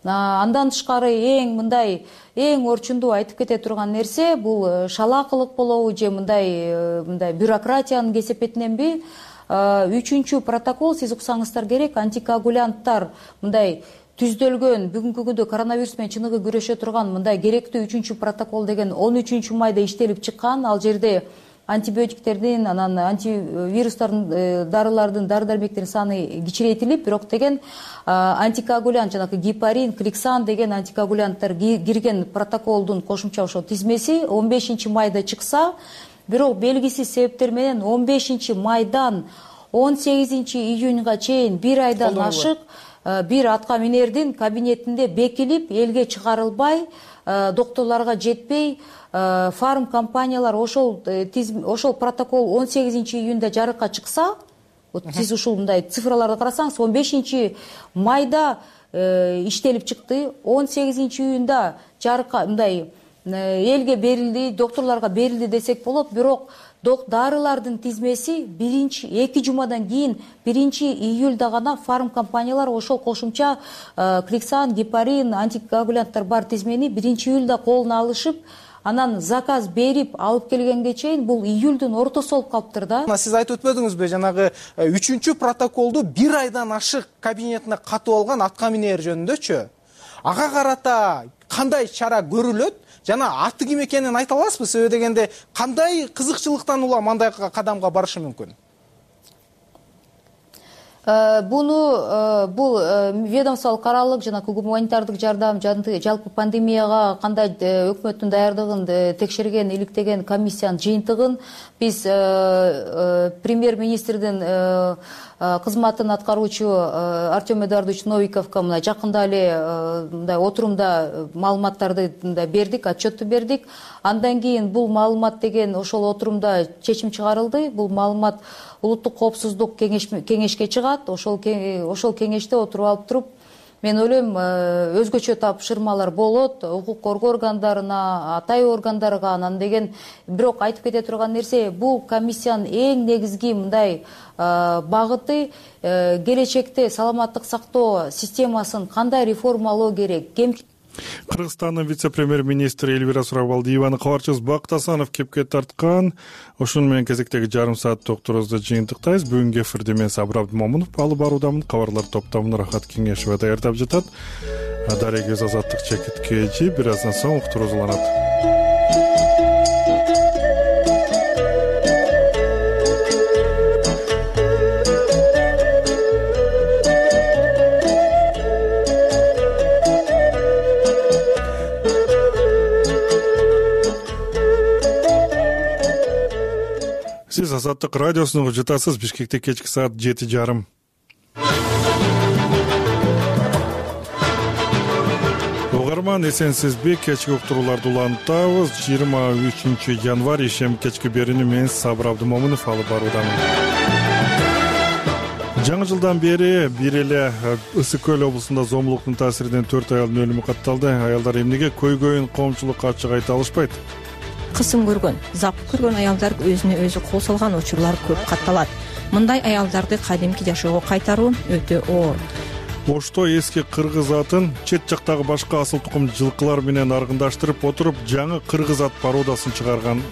Андан тышкары эң мындай эң орчундуу айтып кете турган нерсе бул шалаакылык болобу же мындай мындай бюрократиянын кесепетиненби? Үчүнчү протокол, сиз уксаңыздар керек, антикоагулянттар мындай түздөлгөн, бүгүнкү күндө коронавирус менен чыныгы күрөшө турган мындай керектүү үчүнчү протокол деген он үчүнчү майда иштелип чыккан. Ал жерде антибиотиктердин, анан антивирустардын, дарылардын, дары-дармектердин саны кичирейтилип, бирок деген антикоагулянт, жанагы гепарин, кликсан деген антикоагулянттар кирген протоколдун кошумча ошо тизмеси он бешинчи майда чыкса, бирок белгисиз себептер менен он бешинчи майдан он сегизинчи июньга чейин бир айдан ашык бир атка минердин кабинетинде бекилип, элге чыгарылбай, доктурларга жетпей, фарм компаниялар ошол ошол протокол он сегизинчи июнда жарыкка чыкса, сиз ушул мындай цифраларды карасаңыз, он бешинчи майда иштелип чыкты, он сегизинчи июнда жарыкка мындай элге берилди, доктурларга берилди десек болот, бирок дарылардын тизмеси биринчи эки жумадан кийин биринчи июлда гана фарм компаниялар ошол кошумча кликсан, гепарин, антикоагулянттар бар тизмени биринчи июлда колуна алышып, анан заказ берип алып келгенге чейин бул июлдун ортосу болуп калыптыр да. Сиз айтып өтпөдүңүзбү, жанагы үчүнчү протоколду бир айдан ашык кабинетине катып алган атка минер жөнүндөчү? Ага карата кандай чара көрүлөт? Жана аты ким экенин айта аласызбы? Себеби дегенде кандай кызыкчылыктан улам андай кадамга барышы мүмкүн? Буну бул ведомстволук аралык жана гуманитардык жардам, жалпы пандемияга кандай өкмөттүн даярдыгын текшерген, иликтеген комиссиянын жыйынтыгын биз премьер-министрдин кызматын аткаруучу Артем Эдуардович Новиковго мына жакында эле мындай отурумда маалыматтарды мындай бердик, отчетту бердик. Андан кийин бул маалымат деген ошол отурумда чечим чыгарылды. Бул маалымат улуттук коопсуздук кеңешке чыгат. чыгат. Ошол ошол кеңеште отуруп алып туруп, мен ойлойм, өзгөчө тапшырмалар болот укук коргоо органдарына, атай органдарга. Анан деген бирок айтып кете турган нерсе, бул комиссиянын эң негизги мындай багыты келечекте саламаттык сактоо системасын кандай реформалоо керек. Кыргызстандын вице-премьер-министри Эльвира Сурабалдиеваны кабарчыбыз Бакыт Асанов кепке тарткан. Ошону менен кезектеги жарым саат докторубузду жыйынтыктайбыз. Бүгүнкү эфирде мен Сабыр Абдымомунов алып баруудамын. Кабарлар топтомун Рахат Кеңешова даярдап жатат. Дарек өз азаттык чекиткечи бир аздан соң уктуруубуз уланат. Сиз Азаттык радиосуна жатасыз. Бишкекте кечки саат жети жарым. Угарман, эсенсизби? Кечки уктурууларды улантабыз. жыйырма үчүнчү январь ишем кечки берүүнү мен Сабыр Абдымомунов алып баруудамын. Жаңы жылдан бери бир эле Ысык Көл облусунда зомбулуктун таасиринен төрт аялдын өлүмү катталды. Аялдар эмнеге көйгөйүн коомчулукка ачык айта алышпайт? Кысым көргөн, запык көргөн аялдар өзүнө өзү кол салган учурлар көп катталат. Мындай аялдарды кадимки жашоого кайтаруу өтө оор. Ошто эски кыргыз атын чет жактагы башка асыл тукум жылкылар менен аргындаштырып отуруп, жаңы кыргыз ат пародасын чыгарган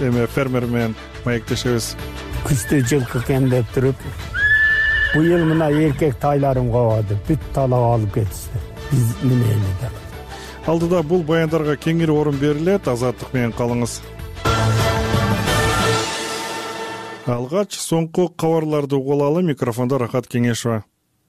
эме фермер менен маектешебиз. Күздө жылкы кемдеп туруп, быйыл мына эркек тайларым кабады, бүт талап алып кетишти. Биз немеледи. Алдыда бул баяндарга кеңири орун берилет. Азаттык менен калыңыз. Алгач соңку кабарларды угулалы. Микрофондо Рахат Кеңешова.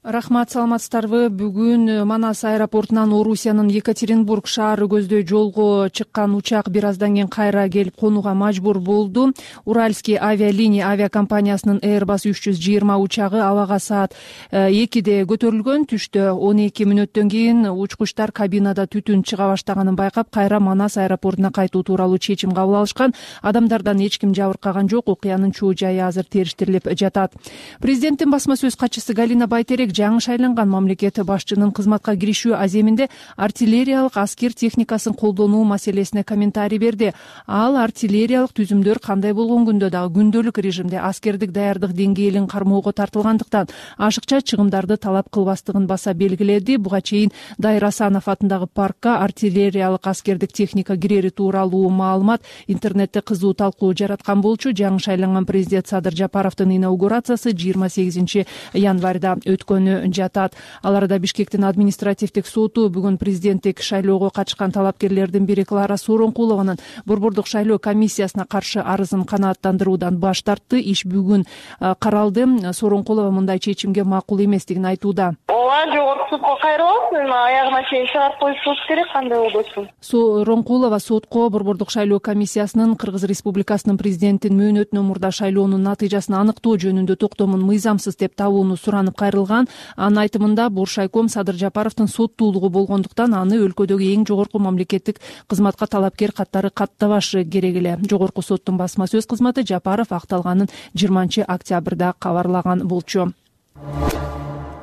Рахмат, саламатсыздарбы? Бүгүн Манас аэропортунан Орусиянын Екатеринбург шаары көздөй жолго чыккан учак бир аздан кийин кайра келип конууга мажбур болду. Уральский авиалиния авиакомпаниясынын Airbus үч жүз жыйырма учагы абага саат экиде көтөрүлгөн. Түштө он эки мүнөттөн кийин учкучтар кабинада түтүн чыга баштаганын байкап, кайра Манас аэропортуна кайтуу тууралуу чечим кабыл алышкан. Адамдардан эч ким жабыркаган жок. Окуянын чоо жайы азыр териштирилип жатат. Президенттин басма сөз катчысы Галина Байтерек жаңы шайланган мамлекет башчынын кызматка киришүү аземинде артиллериялык аскер техникасын колдонуу маселесине комментарий берди. Ал артиллериялык түзүмдөр кандай болгон күндө дагы күндөлүк режимде аскердик даярдык деңгээлин кармоого тартылгандыктан ашыкча чыгымдарды талап кылбастыгын баса белгиледи. Буга чейин Дайыр Асанов атындагы паркка артиллериялык аскердик техника кирери тууралуу маалымат интернетте кызуу талкуу жараткан болчу. Жаңы шайланган президент Садыр Жапаровдун инаугурациясы жыйырма сегизинчи январда өткөн жатат. Ал арада Бишкектин административдик соту бүгүн президенттик шайлоого катышкан талапкерлердин бири Клара Сооронкулованын борбордук шайлоо комиссиясына каршы арызын канааттандыруудан баш тартты. Иш бүгүн каралды. Сооронкулова мындай чечимге макул эместигин айтууда. Ооба, жогорку сотко кайрылып, аягына чейин чыгарып коюшубуз керек, кандай болбосун. Сооронкулова сотко борбордук шайлоо комиссиясынын Кыргыз Республикасынын президентин мөөнөтүнөн мурда шайлоонун натыйжасын аныктоо жөнүндө токтомун мыйзамсыз деп табууну суранып кайрылган. Анын айтымында Буршайком Садыр Жапаровдун соттуулугу болгондуктан аны өлкөдөгү эң жогорку мамлекеттик кызматка талапкер каттары каттабашы керек эле. Жогорку соттун басма сөз кызматы Жапаров акталганын жыйырманчы октябрда кабарлаган болчу.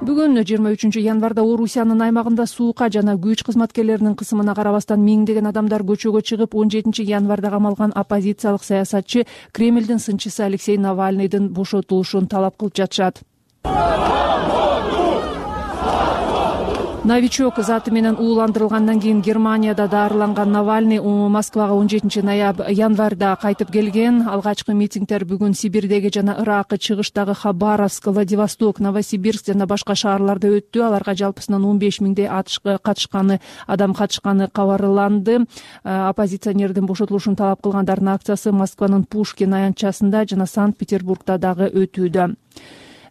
Бүгүн жыйырма үчүнчү январда Орусиянын аймагында суука жана күч кызматкерлеринин кысымына карабастан миңдеген адамдар көчөгө чыгып, он жетинчи январда камалган оппозициялык саясатчы Кремлдин сынчысы Алексей Навальныйдын бошотулушун талап кылып жатышат. Новичок заты менен ууландырылгандан кийин Германияда даарыланган Навальный Москвага он жетинчи январда кайтып келген. Алгачкы митингдер бүгүн Сибирдеги жана Иракы чыгыштагы Хабаровск, Владивосток, Новосибирск жана башка шаарларда өттү. Аларга жалпысынан он беш миңдей катышканы адам катышканы кабарланды. Оппозиционердин бошотулушун талап кылгандардын акциясы Москванын Пушкин аянтчасында жана Санкт-Петербургда дагы өтүүдө.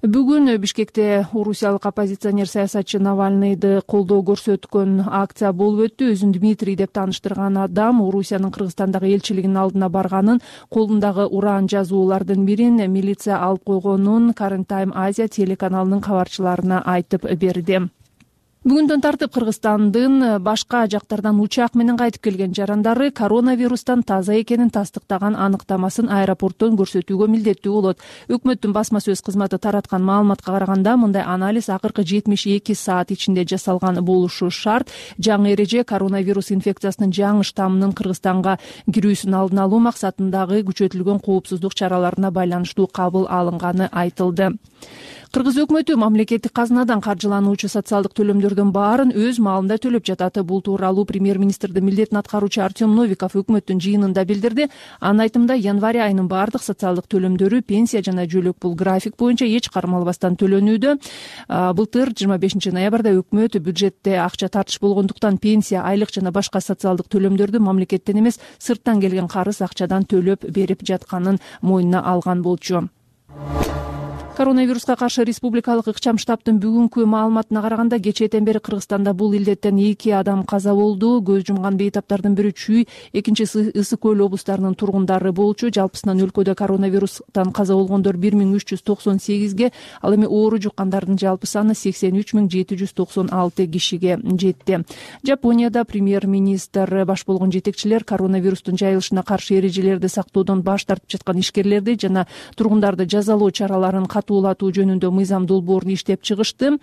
Бүгүн Бишкекте орусиялык оппозиционер саясатчы Навальныйды колдоо көрсөткөн акция болуп өттү. Өзүн Дмитрий деп тааныштырган адам Орусиянын Кыргызстандагы элчилигинин алдына барганын, колундагы уран жазуулардын бирин милиция алып койгонун Current Time Asia телеканалынын кабарчыларына айтып берди. Бүгүндөн тартып Кыргызстандын башка жактардан учак менен кайтып келген жарандары коронавирустан таза экенин тастыктаган аныктамасын аэропорттон көрсөтүүгө милдеттүү болот. Өкмөттүн басма сөз кызматы тараткан маалыматка караганда, мындай анализ акыркы жетимиш эки саат ичинде жасалган болушу шарт. Жаңы эреже коронавирус инфекциясынын жаңы штаммынын Кыргызстанга кирүүсүн алдын алуу максатындагы күчөтүлгөн коопсуздук чараларына байланыштуу кабыл алынганы айтылды. Кыргыз өкмөтү мамлекеттик казынадан каржылануучу социалдык төлөмдөрдүн баарын өз маалында төлөп жатат. Бул тууралуу премьер-министрдин милдетин аткаруучу Артем Новиков өкмөттүн жыйынында билдирди. Анын айтымында, январь айынын баардык социалдык төлөмдөрү пенсия жана жөлөк бул график боюнча эч кармалбастан төлөнүүдө. Былтыр жыйырма бешинчи ноябрда өкмөт бюджетте акча тартыш болгондуктан пенсия, айлык жана башка социалдык төлөмдөрдү мамлекеттен эмес, сырттан келген карыз акчадан төлөп берип жатканын мойнуна алган болчу. Коронавируска каршы республикалык ыкчам штабтын бүгүнкү маалыматына караганда, кечээден бери Кыргызстанда бул илдеттен эки адам каза болду. Көз жумган бейтаптардын бири Чүй, экинчиси Ысык көл облустарынын тургундары болчу. Жалпысынан өлкөдө коронавирустан каза болгондор бир миң үч жүз токсон сегизге, ал эми оору жуккандардын жалпы саны сексен үч миң жети жүз токсон алты кишиге жетти. Жапонияда премьер-министр баш болгон жетекчилер коронавирустун жайылышына каршы эрежелерди сактоодон баш тартып жаткан ишкерлерди жана тургундарды жазалоо чараларын катуулатуу жөнүндө мыйзам долбоорун иштеп чыгышты.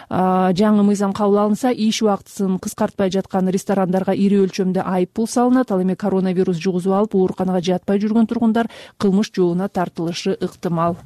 Жаңы мыйзам кабыл алынса, иш убактысын кыскартпай жаткан ресторандарга ири өлчөмдө айып пул салынат. Ал эми коронавирус жугузуп алып, ооруканага жатпай жүргөн тургундар кылмыш жообуна тартылышы ыктымал.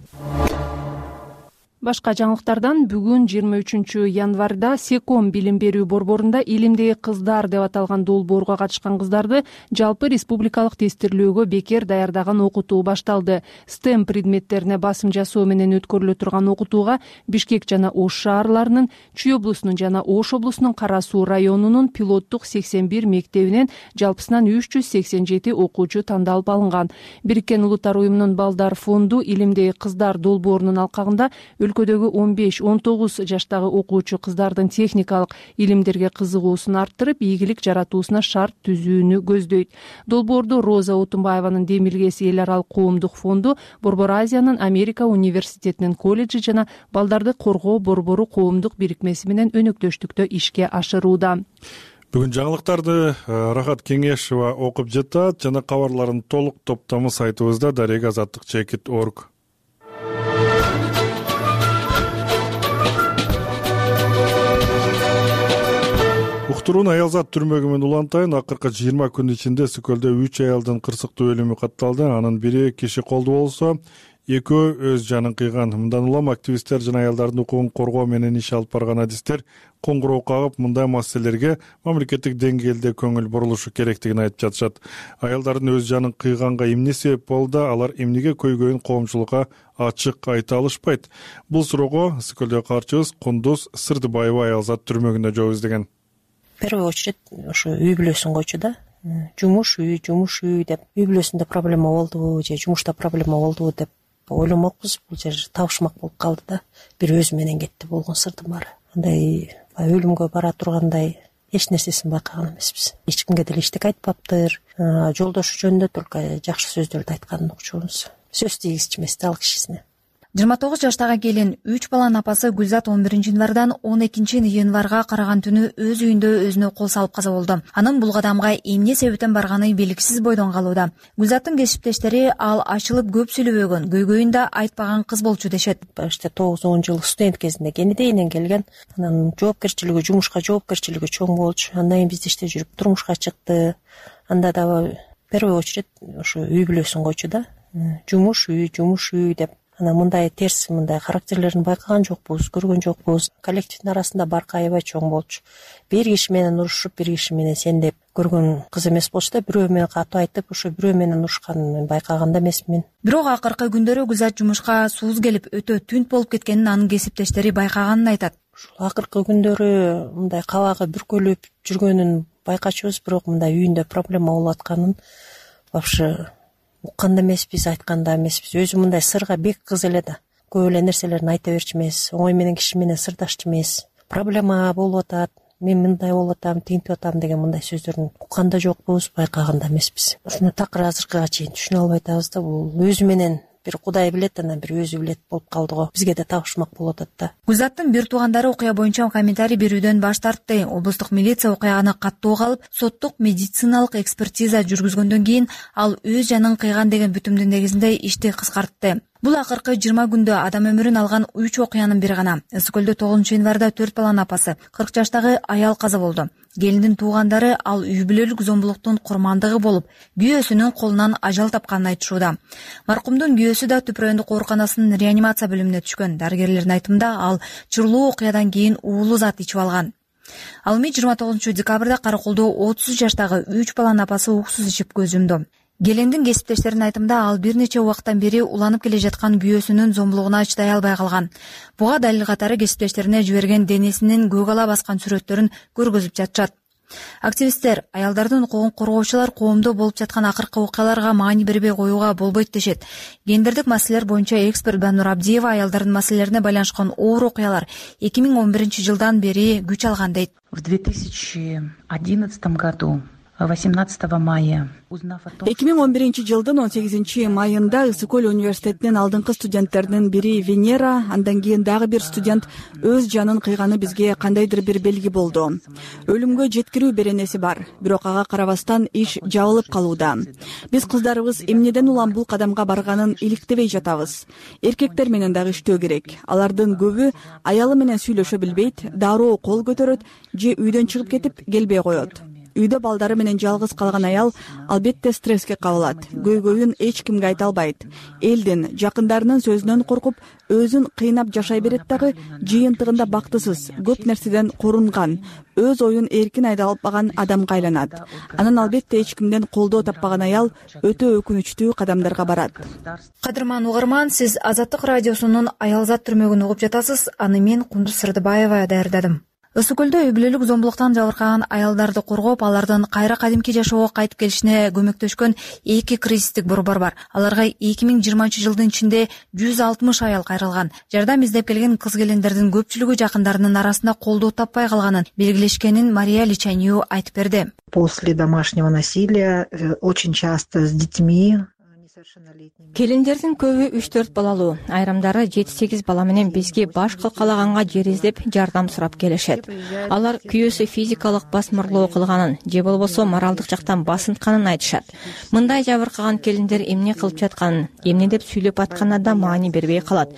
Башка жаңылыктардан, бүгүн жыйырма үчүнчү январда Секом билим берүү борборунда илимдеги кыздар деп аталган долбоорго катышкан кыздарды жалпы республикалык тестирлөөгө бекер даярдаган окутуу башталды. стем предметтерине басым жасоо менен өткөрүлө турган окутууга Бишкек жана Ош шаарларынын, Чүй облусунун жана Ош облусунун Кара Суу районунун пилоттук сексен бир мектебинен жалпысынан үч жүз сексен жети окуучу тандалып алынган. Бириккен Улуттар уюмунун Балдар фонду илимдеги кыздар долбоорунун алкагында өлкөдөгү он беш он тогуз жаштагы окуучу кыздардын техникалык илимдерге кызыгуусун арттырып, ийгилик жаратуусуна шарт түзүүнү көздөйт. Долбоорду Роза Отунбаеванын Демилгеси эл аралык коомдук фонду, Борбор Азиянын Америка университетинин колледжи жана Балдарды коргоо борбору коомдук бирикмеси менен өнөктөштүктө ишке ашырууда. Бүгүн жаңылыктарды Рахат Кеңешова окуп жатат жана кабарлардын толук топтому сайтыбызда дарек азаттык чекит точка орг. Уктуруун Аялзат түрмөгү менен улантайын. Акыркы жыйырма күн ичинде Сөкөлдө үч аялдын кырсыктуу өлүмү катталды. Анын бири киши колду болсо, экөө өз жанын кыйган. Мындан улам активисттер жана аялдардын укугун коргоо менен иш алып барган адистер коңгуроо кагып, мындай маселелерге мамлекеттик деңгээлде көңүл бурулушу керектигин айтып жатышат. Аялдардын өз жанын кыйганга эмне себеп болду, алар эмнеге көйгөйүн коомчулукка ачык айта алышпайт? Бул суроого Сөкөлдөгү каарчыбыз Кундуз Сырдыбаева Аялзат түрмөгүндө жооп издеген. В первую очередь ошо үй бүлөсүн койчу да. Жумуш үй, жумуш үй деп, үй бүлөсүндө проблема болдубу же жумушта проблема болдубу деп ойломокпуз. Бул жер табышмак болуп калды да. Бир өзү менен кетти болгон сырдын баары. Андай өлүмгө бара тургандай эч нерсесин байкаган эмеспиз. Эч кимге деле эчтеке айтпаптыр. Жолдошу жөнүндө только жакшы сөздөрдү айтканын укчубуз. Сөз тийгизчү эмес да ал кишисине. жыйырма тогуз жаштагы келин үч баланын апасы Гүлзат он биринчи январдан он экинчи январга караган түнү өз үйүндө өзүнө кол салып каза болду. Анын бул кадамга эмне себептен барганы белгисиз бойдон калууда. Гүлзаттын кесиптештери ал ачылып көп сүйлөбөгөн, көйгөйүн да айтпаган кыз болчу дешет. Башта тогуз он жыл студент кезинде Кенедейинен келген. Анан жоопкерчилиги, жумушка жоопкерчилиги чоң болчу. Андан кийин бизде иште жүрүп турмушка чыкты. Анда дагы в первую очередь ошо үй бүлөсүн койчу да. Жумуш үй, жумуш үй деп. Анан мындай терс, мындай характерлерин байкаган жокпуз, көргөн жокпуз. Коллективдин арасында баркы аябай чоң болчу. Бир киши менен урушуп, бир киши менен сендеп көргөн кыз эмес болчу да. Бирөө менен катуу айтып, ошо бирөө менен урушканын мен байкаган да эмесмин. Бирок акыркы күндөрү Гүлзат жумушка сууз келип, өтө түнт болуп кеткенин анын кесиптештери байкаганын айтат. Ушул акыркы күндөрү мындай кабагы бүркөлүп жүргөнүн байкачубуз, бирок мындай үйүндө проблема болуп атканын вообще уккан да эмеспиз, айткан да эмеспиз. Өзү мындай сырга бек кыз эле да. Көп эле нерселерин айта берчү эмес, оңой менен киши менен сырдашчу эмес. Проблема болуп атат, мен мындай болуп атам, тинтип атам деген мындай сөздөрүн уккан да жокпуз, байкаган да эмеспиз. Ушуну такыр азыркыга чейин түшүнө албай атабыз да. Бул өзү менен бир Кудай билет, анан бир өзү билет болуп калды го. Бизге да табышмак болуп атат да. Гүлзаттын бир туугандары окуя боюнча комментарий берүүдөн баш тартты. Облустук милиция окуяны каттоого алып, соттук медициналык экспертиза жүргүзгөндөн кийин ал өз жанын кыйган деген бүтүмдүн негизинде ишти кыскартты. Бул акыркы жыйырма күндө адам өмүрүн алган үч окуянын бири гана. Ысык көлдө тогузунчу январда төрт баланын апасы кырк жаштагы аял каза болду. Келиндин туугандары ал үй бүлөлүк зомбулуктун курмандыгы болуп, күйөөсүнүн колунан ажал тапканын айтышууда. Маркумдун күйөөсү да Түп райондук ооруканасынын реанимация бөлүмүнө түшкөн. Дарыгерлердин айтымында ал чырлуу окуядан кийин уулуу зат ичип алган. Ал эми жыйырма тогузунчу декабрда Караколдо отуз жаштагы үч баланын апасы уксуз ичип көз жумду. Келиндин кесиптештеринин айтымында ал бир нече убакыттан бери уланып келе жаткан күйөөсүнүн зомбулугуна чыдай албай калган. Буга далил катары кесиптештерине жиберген денесинин көк ала баскан сүрөттөрүн көргөзүп жатышат. Активисттер аялдардын укугун коргоочулар коомдо болуп жаткан акыркы окуяларга маани бербей коюуга болбойт дешет. Гендердик маселелер боюнча эксперт Банур Абдиева аялдардын маселелерине байланышкан оор окуялар эки миң он биринчи жылдан бери күч алган дейт. В две тысячи одиннадцатом году восемнадцатого мая эки миң он биринчи жылдын он сегизинчи майында Ысык көл университетинин алдыңкы студенттеринин бири Венера, андан кийин дагы бир студент өз жанын кыйганы бизге кандайдыр бир белги болду. Өлүмгө жеткирүү беренеси бар, бирок ага карабастан иш жабылып калууда. Биз кыздарыбыз эмнеден улам бул кадамга барганын иликтебей жатабыз. Эркектер менен дагы иштөө керек. Алардын көбү аялы менен сүйлөшө билбейт, дароо кол көтөрөт же үйдөн чыгып кетип келбей коет. Үйдө балдары менен жалгыз калган аял албетте стресске кабылат. Көйгөйүн эч кимге айта албайт. Элдин, жакындарынын сөзүнөн коркуп, өзүн кыйнап жашай берет дагы, жыйынтыгында бактысыз, көп нерседен корунган, өз оюн эркин айта албаган адамга айланат. Анан албетте эч кимден колдоо таппаган аял өтө өкүнүчтүү кадамдарга барат. Кадырман угарман, сиз Азаттык радиосунун Аялзат түрмөгүн угуп жатасыз. Аны мен Кундуз Сырдыбаева даярдадым. Ысык көлдө үй бүлөлүк зомбулуктан жабыркаган аялдарды коргоп, алардын кайра кадимки жашоого кайтып келишине көмөктөшкөн эки кризистик борбор бар. Аларга эки миң жыйырманчы жылдын ичинде жүз алтымыш аял кайрылган. Жардам издеп келген кыз-келиндердин көпчүлүгү жакындарынын арасында колдоо таппай калганын белгилешкенин Мария Личанью айтып берди. После домашнего насилия очень часто с детьми Келиндердин көбү үч төрт балалуу, айрымдары жети сегиз бала менен бизге баш калкалаганга жер издеп жардам сурап келишет. Алар күйөөсү физикалык басмырлоо кылганын же болбосо моралдык жактан басынтканын айтышат. Мындай жабыркаган келиндер эмне кылып жатканын, эмне деп сүйлөп атканына да маани бербей калат.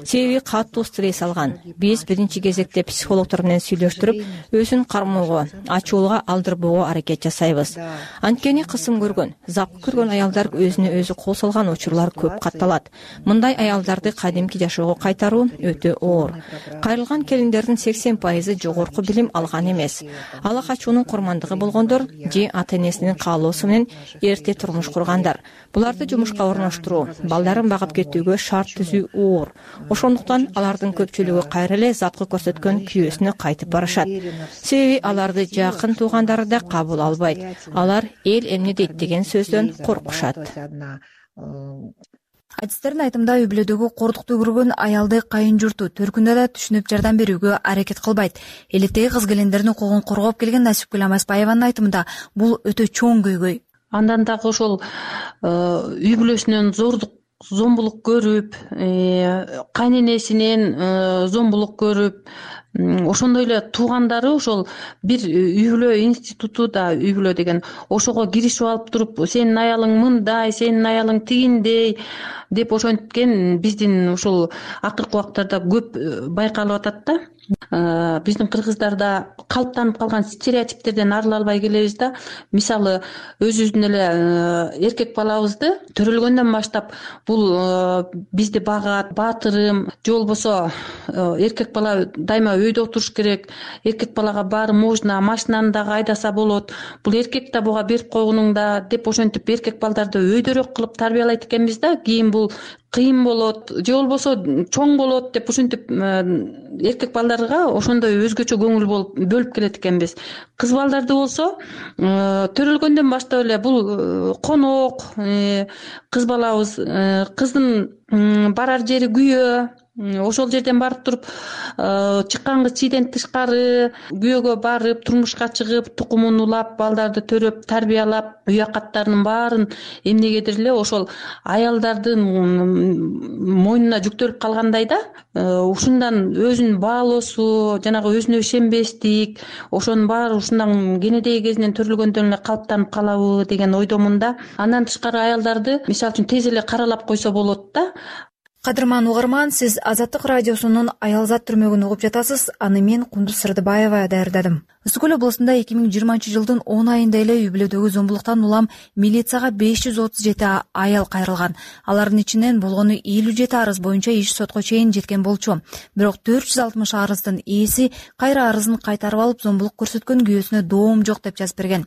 Себеби катуу стресс алган. Биз биринчи кезекте психологдор менен сүйлөштүрүп, өзүн кармоого, ачуулга алдырбоого аракет жасайбыз. Анткени кысым көргөн, запкы көргөн аялдар өзүнө өзү кол салган учурлар көп катталат. Мындай аялдарды кадимки жашоого кайтаруу өтө оор. Кайрылган келиндердин сексен пайызы жогорку билим алган эмес. Ала качуунун курмандыгы болгондор же ата-энесинин каалоосу менен эрте турмуш кургандар. Буларды жумушка орноштуруу, балдарын багып кетүүгө шарт түзүү оор. Ошондуктан алардын көпчүлүгү кайра эле запкы көрсөткөн күйөөсүнө кайтып барышат. Себеби аларды жакын туугандары да кабыл албайт. Алар эл эмне дейт деген сөздөн коркушат. Адистердин айтымында үй бүлөдөгү кордукту көргөн аялды кайын журту төркүндө да түшүнүп жардам берүүгө аракет кылбайт. Элеттеги кыз-келиндердин укугун коргоп келген Насипгүл Амаспаеванын айтымында бул өтө чоң көйгөй. Андан дагы ошол үй бүлөсүнөн зордук зомбулук көрүп, кайненесинен зомбулук көрүп, ошондой эле туугандары ошол бир үй бүлө институту да үй бүлө деген ошого киришип алып туруп, сенин аялың мындай, сенин аялың тигиндей деп ошенткен биздин ушул акыркы убактарда көп байкалып атат да. Биздин кыргыздарда калыптанып калган стереотиптерден арыла албай келебиз да. Мисалы, өзүбүздүн эле эркек балабызды төрөлгөндөн баштап бул бизди багат, баатырым, же болбосо эркек бала дайыма өйдө отуруш керек, эркек балага баары можно, машинаны дагы айдаса болот, бул эркек да буга берип койгонуң да деп ошентип эркек балдарды өйдөрөөк кылып тарбиялайт экенбиз да. Кийин бул кыйын болот, же болбосо чоң болот деп ошентип эркек балдарга ошондой өзгөчө көңүл болуп бөлүп келет экенбиз. Кыз балдарды болсо төрөлгөндөн баштап эле бул конок, кыз балабыз, кыздын барар жери күйөө, ошол жерден барып туруп чыккан кыз чийден тышкары күйөөгө барып турмушка чыгып тукумун улап балдарды төрөп тарбиялап үй акаттарынын баарын эмнегедир эле ошол аялдардын мойнуна жүктөлүп калгандай да, ушундан өзүн баалоосу, жанагы өзүнө ишенбестик, ошонун баары ушундан кенедеги кезинен төрөлгөндөн эле калыптанып калабы деген ойдомун да. Андан тышкары аялдарды мисалы үчүн тез эле каралап койсо болот да. Кадырман угарман, сиз Азаттык радиосунун Аялзат түрмөгүн угуп жатасыз. Аны мен Кундуз Сырдыбаева даярдадым. Ысык көл облусунда эки миң жыйырманчы жылдын он айында эле үй бүлөдөгү зомбулуктан улам милицияга беш жүз отуз жети аял кайрылган. Алардын ичинен болгону элүү жети арыз боюнча иш сотко чейин жеткен болчу. Бирок төрт жүз алтымыш арыздын ээси кайра арызын кайтарып алып, зомбулук көрсөткөн күйөөсүнө доом жок деп жазып берген.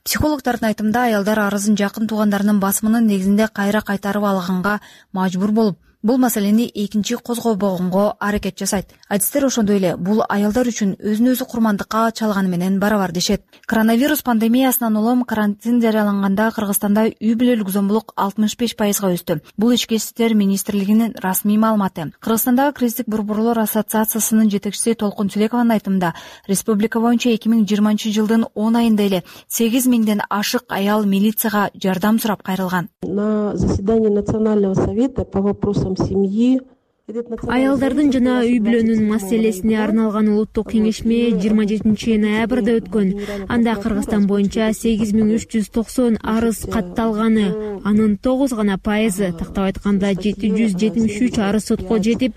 Психологдордун айтымында аялдар арызын жакын туугандарынын басымынын негизинде кайра кайтарып алганга мажбур болуп, бул маселени экинчи козгобогонго аракет жасайт. Адистер ошондой эле бул аялдар үчүн өзүн өзү курмандыкка чалганы менен барабар дешет. Коронавирус пандемиясынан улам карантин жарыяланганда Кыргызстанда үй бүлөлүк зомбулук алтымыш беш пайызга өстү. Бул ички иштер министрлигинин расмий маалыматы. Кыргызстандагы кризистик борборлор ассоциациясынын жетекчиси Толкун Чилекованын айтымында, республика боюнча эки миң жыйырманчы жылдын он айында эле сегиз миңден ашык аял милицияга жардам сурап кайрылган. На заседании Национального совета по вопросам семьи аялдардын жана үй бүлөнүн маселесине арналган улуттук кеңешме жыйырма жетинчи ноябрда өткөн. Анда Кыргызстан боюнча сегиз миң үч жүз токсон арыз катталганы, анын тогуз гана пайызы, тактап айтканда жети жүз жетимиш үч арыз сотко жетип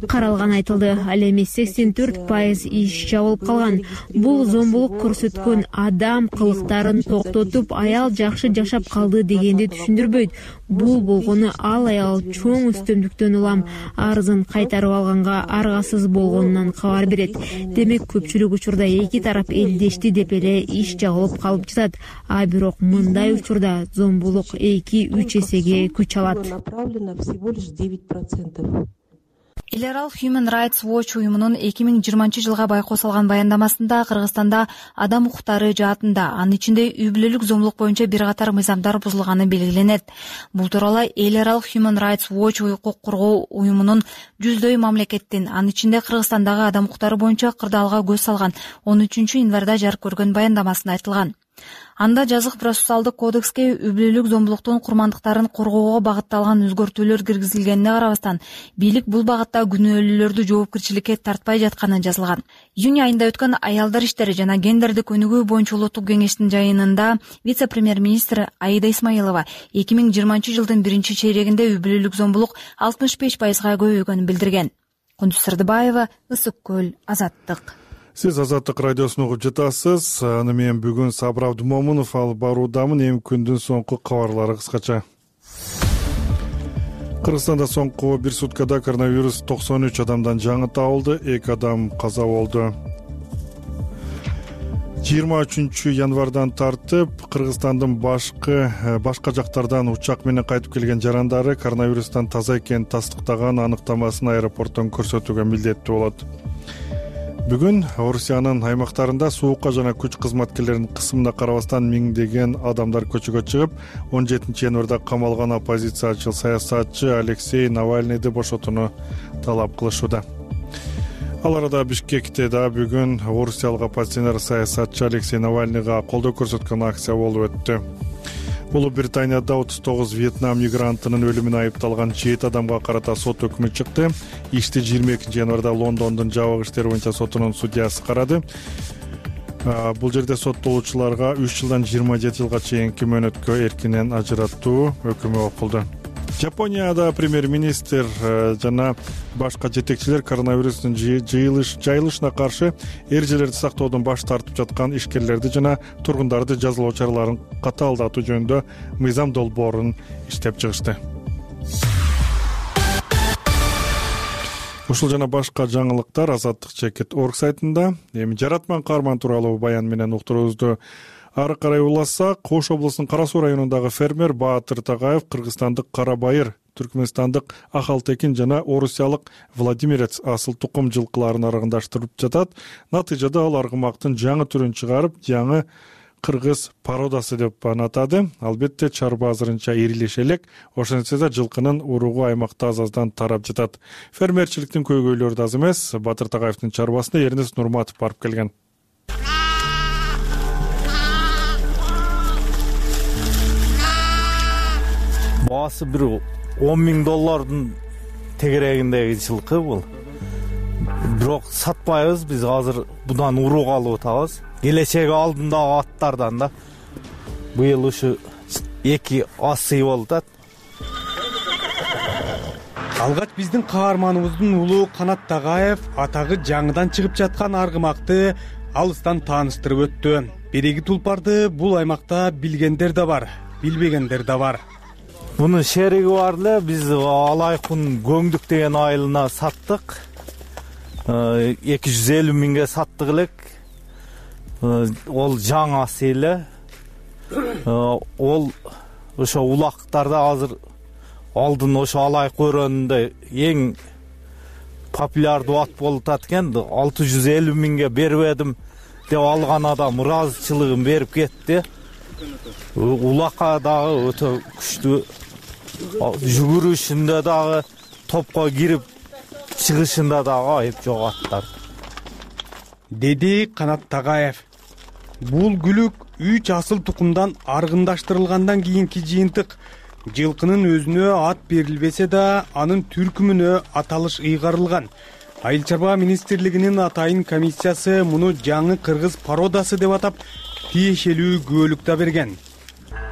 каралганы айтылды. Ал эми сексен төрт пайыз иш жабылып калган. Бул зомбулук көрсөткөн адам кылыктарын токтотуп, аял жакшы жашап калды дегенди түшүндүрбөйт. Бул болгону ал аял чоң үстөмдүктөн улам арызын кайтарып алганга аргасыз болгонунан кабар берет. Демек көпчүлүк учурда эки тарап элдешти деп эле иш жабылып калып жатат. А бирок мындай учурда зомбулук эки үч эсеге күч алат. Эл аралык Human Rights Watch уюмунун эки миң жыйырманчы жылга байкоо салган баяндамасында Кыргызстанда адам укуктары жаатында, анын ичинде үй бүлөлүк зомбулук боюнча бир катар мыйзамдар бузулганы белгиленет. Бул тууралуу Эл аралык Human Rights Watch укук коргоо уюмунун жүздөй мамлекеттин, анын ичинде Кыргызстандагы адам укуктары боюнча кырдаалга көз салган он үчүнчү январда жарык көргөн баяндамасында айтылган. Анда жазык процессуалдык кодекске үй бүлөлүк зомбулуктун курмандыктарын коргоого багытталган өзгөртүүлөр киргизилгенине карабастан, бийлик бул багытта күнөөлүүлөрдү жоопкерчиликке тартпай жатканы жазылган. Июнь айында өткөн аялдар иштери жана гендердик өнүгүү боюнча улуттук кеңештин жыйынында вице-премьер-министр Аида Исмаилова эки миң жыйырманчы жылдын биринчи чейрегинде үй бүлөлүк зомбулук алтымыш беш пайызга көбөйгөнүн билдирген. Кундуз Сырдыбаева, Ысык көл, Азаттык. Сиз Азаттык радиосун угуп жатасыз. Аны мен бүгүн Сабыр Абдымомунов алып баруудамын. Эми күндүн соңку кабарлары кыскача. Кыргызстанда соңку бир суткада коронавирус токсон үч адамдан жаңы табылды, эки адам каза болду. жыйырма үчүнчү январдан тартып Кыргызстандын башкы башка жактардан учак менен кайтып келген жарандары коронавирустан таза экенин тастыктаган аныктамасын аэропорттон көрсөтүүгө милдеттүү болот. Бүгүн Орусиянын аймактарында суукка жана күч кызматкерлеринин кысымына карабастан миңдеген адамдар көчөгө чыгып, он жетинчи январда камалган оппозициячы саясатчы Алексей Навальныйды бошотууну талап кылышууда. Ал арада Бишкекте да бүгүн орусиялык оппозиционер саясатчы Алексей Навальныйга колдоо көрсөткөн акция болуп өттү. Улуу Британияда отуз тогуз Вьетнам мигрантынын өлүмүнө айыпталган жети адамга карата сот өкмү чыкты. Ишти жыйырма экинчи январда Лондондун жабык иштер боюнча сотунун судьясы карады. Бул жерде соттолуучуларга үч жылдан жыйырма жети жылга чейинки мөөнөткө эркинен ажыраттуу өкүмү окулду. Жапонияда премьер-министр жана башка жетекчилер коронавирустун жайылышына каршы эрежелерди сактоодон баш тартып жаткан ишкерлерди жана тургундарды жазалоо чараларын катаалдатуу жөнүндө мыйзам долбоорун иштеп чыгышты. Ушул жана башка жаңылыктар азаттык чекит точка орг сайтында. Эми жаратман каарман тууралуу баян менен уктуруубузду ары карай улассак, Ош облусунун Кара Суу районундагы фермер Баатыр Тагаев кыргызстандык Кара Байыр, түркмөнстандык Ахалтекин жана орусиялык Владимирец асыл тукум жылкыларын аргындаштырып жатат. Натыйжада ал аргымактын жаңы түрүн чыгарып, жаңы кыргыз породасы деп анатады. Албетте чарба азырынча ирилеше элек, ошентсе да жылкынын уругу аймакта аз-аздан тарап жатат. Фермерчиликтин көйгөйлөрү да аз эмес. Батыр Тагаевдин чарбасына Эрнест Нурматов барып келген. Баасы бир он миң доллардын тегерегиндеги жылкы бул. Бирок сатпайбыз, биз азыр будан урук алып атабыз. Келечеги алдындагы аттардан да. Быйыл ушу эки асы болуп атат. Алгач биздин каарманыбыздын улуу Канат Тагаев атагы жаңыдан чыгып жаткан аргымакты алыстан тааныштырып өттү. Береги тулпарды бул аймакта билгендер да бар, билбегендер да бар. Мунун шериги бар эле, биз Алайкун Көңдүк деген айылына саттык. эки жүз элүү миңге саттык элек. Ол жаңасы эле. Ол ошо улактарда азыр алдын ошо Алайк өрөөнүндө эң популярдуу ат болуп атат экен. алты жүз элүү миңге бербедим деп алган адам ыраазычылыгын берип кетти. Улакка дагы өтө күчтүү, жүгүрүшүндө дагы, топко кирип чыгышында дагы айып жок аттар, деди Канат Тагаев. Бул күлүк үч асыл тукумдан аргындаштырылгандан кийинки жыйынтык. Жылкынын өзүнө ат берилбесе да, анын түркүмүнө аталыш ыйгарылган. Айыл чарба министрлигинин атайын комиссиясы муну жаңы кыргыз породасы деп атап, тиешелүү күбөлүк да берген.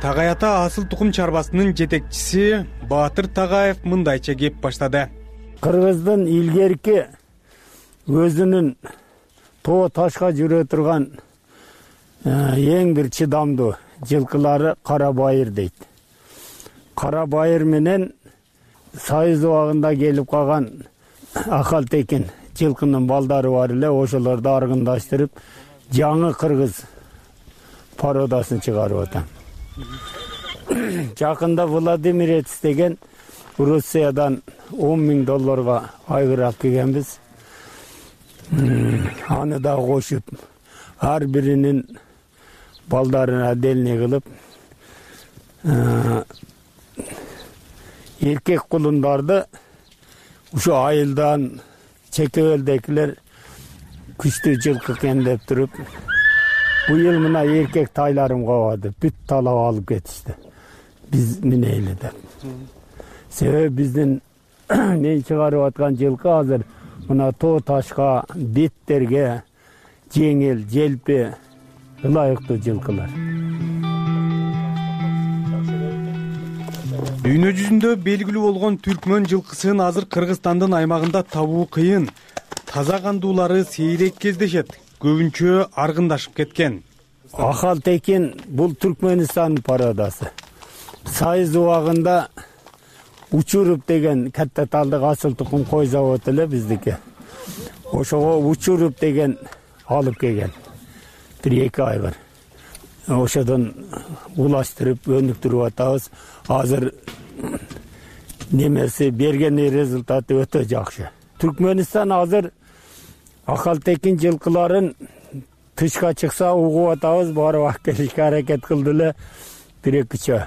Tagay ата асыл тукум чарбасынын жетекчиси Батыр Тагаев мындайча кеп баштады. Кыргыздын илгерки өзүнүн тоо ташка жүрө турган эң бир чыдамдуу жылкылары Кара Байыр дейт. Кара Байыр менен Союз убагында келип калган Акалтекин жылкынын балдары бар эле, ошолорду аргындаштырып жаңы кыргыз породасын чыгарып атам. Жакында Владимирец деген Rusиядан он миң долларга айгыр алып келгенбиз. Аны да кошуп, ар биринин балдарына отдельный кылып, эркек кулундарды ушу айылдан чекебелдекилер күчтүү жылкы экен деп туруп, быйыл мына эркек тайларым кабады, бүт талап алып кетишти. Биз минейли деп. Себеби биздин мен чыгарып аткан жылкы азыр мына тоо ташка, беттерге жеңил, желпи, ылайыктуу жылкылар. Дүйнө жүзүндө белгилүү болгон түркмөн жылкысын азыр Кыргызстандын аймагында табуу кыйын. Таза кандуулары сейрек кездешет, көбүнчө аргындашып кеткен. Акалтекин бул Түркмөнстандын породасы. Союз убагында Учуруп деген катта талдык асыл тукум кой заводу эле биздики. Ошого Учуруп деген алып келген. бир эки айгыр. Ошодон улаштырып, өнүктүрүп атабыз. Азыр немеси берген результаты өтө жакшы. Түркмөнстан азыр Акалтекин жылкыларын тышка чыкса угуп атабыз, барып алып келишке аракет кылды эле бир эки жөө.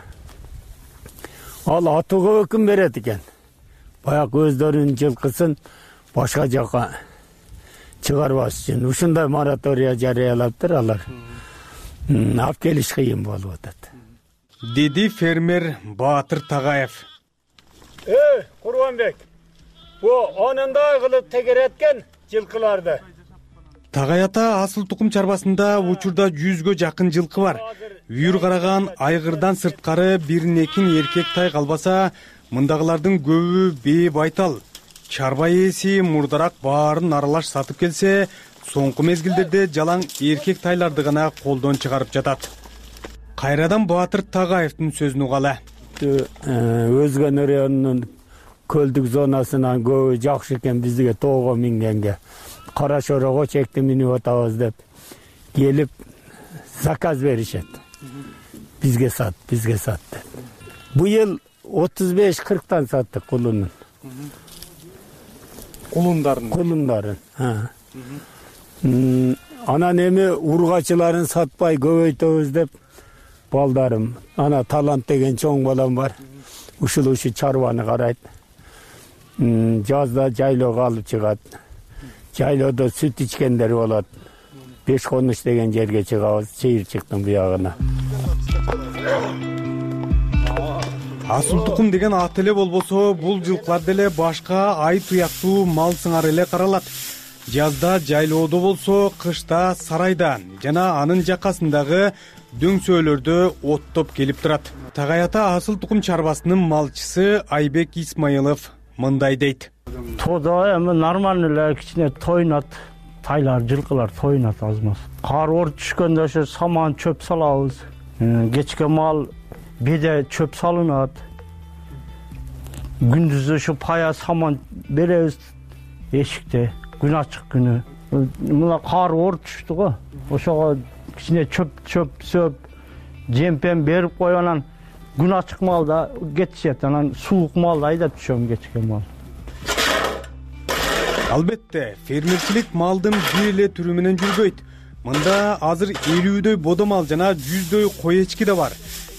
Ал атууга өкүм берет экен. Баяк өздөрүнүн жылкысын башка жака чыгарбаш үчүн ушундай моратория жарыялаптыр алар. Алып келиш кыйын болуп атат, деди фермер Батыр Тагаев. Э, Курбанбек, бу анындай кылып тегереткен жылкыларды. Tagay ата асыл тукум чарбасында учурда жүзгө жакын жылкы бар. Үйүр караган айгырдан сырткары бирин-экин эркек тай калбаса, мындагылардын көбү бээ байтал. Чарба ээси мурдараак баарын аралаш сатып келсе, соңку мезгилдерде жалаң эркек тайларды гана колдон чыгарып жатат. Кайрадан Батыр Тагаевдин сөзүн угалы. Өзгөн районунун көлдүк зонасынан көбү жакшы экен бизге тоого мингенге. Кара Шорого чекти минип атабыз деп келип заказ беришет. Бизге сат, бизге сат деп. Быйыл отуз беш кырктан саттык кулунун. Кулундарын. Кулундарын. Анан эми ургачыларын сатпай көбөйтөбүз деп балдарым, ана Талант деген чоң балам бар. Ушул ушу чарбаны карайт. Жазда жайлоого алып чыгат. Жайлоодо сүт ичкендер болот. Беш конуш деген жерге чыгабыз, чыйырчыктын буягына. Асыл тукум деген ат эле болбосо, бул жылкылар деле башка ай туяктуу мал сыңары эле каралат. Жазда жайлоодо болсо, кышта сарайда жана анын жакасындагы дөңсөөлөрдө оттоп келип турат. Tagay ата асыл тукум чарбасынын малчысы Айбек Исмаилов мындай дейт. Тоодо эми нормально эле кичине тойнат. Тайлар, жылкылар тойнат азмаз. Кар оор түшкөндө ошо саман чөп салабыз. Кечке мал беде чөп салынат. Күндүз ошо пая саман беребиз эшикте. Күн ачык күнү. Мына кар оор түштү го. Ошого кичине чөп чөп сөп жемпен берип коюп анан күн ачык малда кетишет. Анан суук малда айдап түшөм кечке мал. Албетте, фермерчилик малдын бир эле түрү менен жүрбөйт. Мында азыр элүүдөй бодо мал жана жүздөй кой эчки да бар.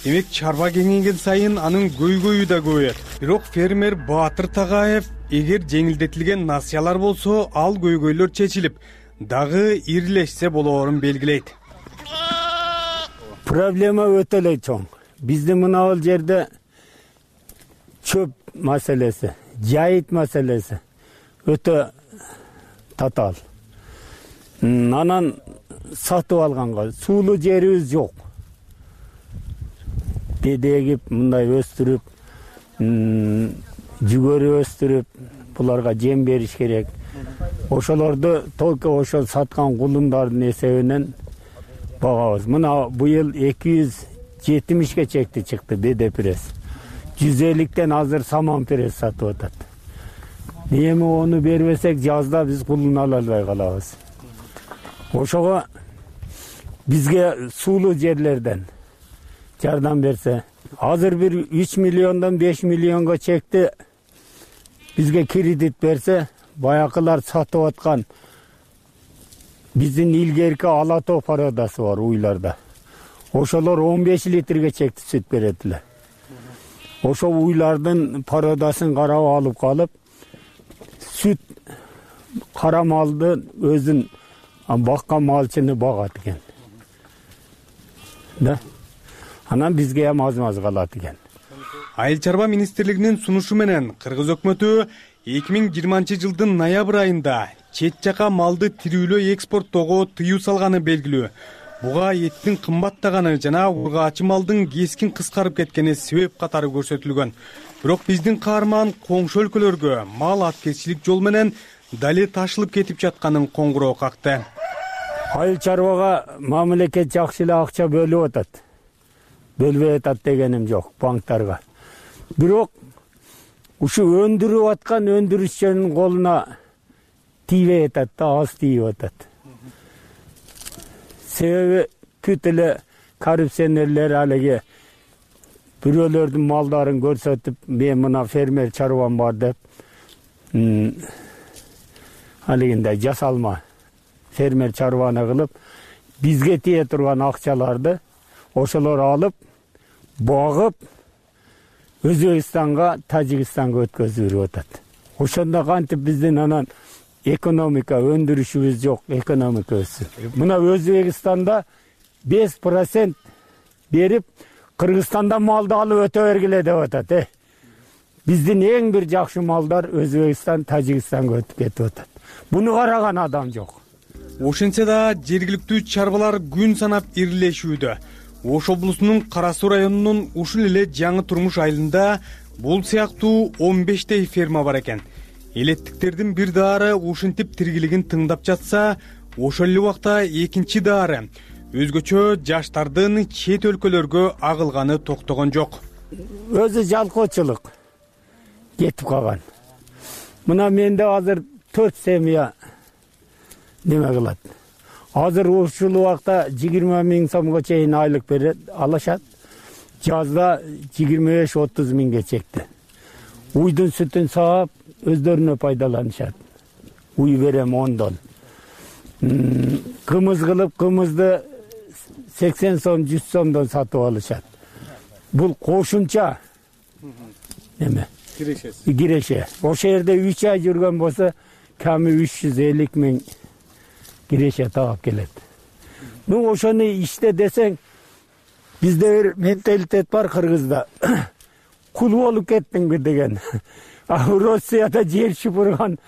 Демек чарба кеңейген сайын анын көйгөйү да көбөйөт. Бирок фермер Баатыр Тагаев эгер жеңилдетилген насыялар болсо, ал көйгөйлөр чечилип, дагы ирилешсе болоорун белгилейт. Проблема өтө эле чоң. Биздин мына бул жерде чөп маселеси, жайыт маселеси өтө татаал. Анан сатып алганга суулуу жерибиз жок. Беде эгип, мындай өстүрүп, жүгөрү өстүрүп, буларга жем бериш керек. Ошолорду только ошол саткан кулундардын эсебинен багабыз. Мына быйыл эки жүз жетимишке чекти чыкты беде пресс. жүз элүүдөн азыр саман пресс сатып атат. Эми ону бербесек жазда биз кулун ала албай калабыз. Ошого бизге суулуу жерлерден жардам берсе, азыр бир үч миллиондон беш миллионго чекти бизге кредит берсе, баякылар сатып аткан биздин илгерки ала тоо пародасы бар уйларда. Ошолор он беш литрге чекти сүт берет эле. Ошо уйлардын пародасын карап алып калып, сүт кара малды өзүн баккан малчыны багат экен. Да. Анан бизге эм аз-маз калат экен. Айыл чарба министрлигинин сунушу менен Кыргыз өкмөтү эки миң жыйырманчы жылдын ноябрь айында чет жака малды тирүүлөй экспорттоого тыюу салганы белгилүү. Буга эттин кымбаттаганы жана ургаачы малдын кескин кыскарып кеткени себеп катары көрсөтүлгөн. Бирок биздин каарман коңшу өлкөлөргө мал аткерчилик жол менен дали ташылып кетип жатканын коңгуроо какты. Айыл чарбага мамлекет жакшы эле акча бөлүп атат. Бөлбөй атат дегеним жок банктарга. Бирок ушу өндүрүп аткан өндүрүшчүнүн колуна тийбей атат да, аз тийип атат. Себеби бүт эле коррупционерлер алиги бирөөлөрдүн малдарын көрсөтүп, мен мына фермер чарбам бар деп, алигинде жасалма фермер чарбаны кылып, бизге тие турган акчаларды ошолор алып, багып, Өзбекстанга, Тажикстанга өткөзүп берип атат. Ошондо кантип биздин анан экономика, өндүрүшүбүз жок, экономика өссүн. Мына Өзбекстанда беш процент берип, Кыргызстанда малды алып өтө бергиле деп атат, э. Биздин эң бир жакшы малдар Өзбекстан, Тажикстанга өтүп кетип атат. Буну караган адам жок. Ошентсе да жергиликтүү чарбалар күн санап ирилешүүдө. Ош облусунун Кара Суу районунун ушул эле Жаңы Турмуш айылында бул сыяктуу он бештей ферма бар экен. Элеттиктердин бир даары ушинтип тиргилигин тыңдап жатса, ошол эле убакта экинчи даары өзгөчө жаштардын чет өлкөлөргө агылганы токтогон жок. Өзү жалкоочулук кетип калган. Мына менде азыр төрт семья неме кылат. Азыр ушул убакта жыйырма миң сомго чейин айлык берет, алышат. Жазда жыйырма беш отуз миңге чекти. Уйдун сүтүн саап, өздөрүнө пайдаланышат. Уй берем ондон. кымыз кылып кымызды сексен сом жүз сомдон сатып алышат. Бул кошумча эме кирешеси киреше. Ошол жерде үч ай жүргөн болсо ками үч жүз элүү миң киреше таап келет. Ну ошону иште десең, бизде бир менталитет бар кыргызда. Кул болуп кеттиңби деген. А Россияда жер шупурган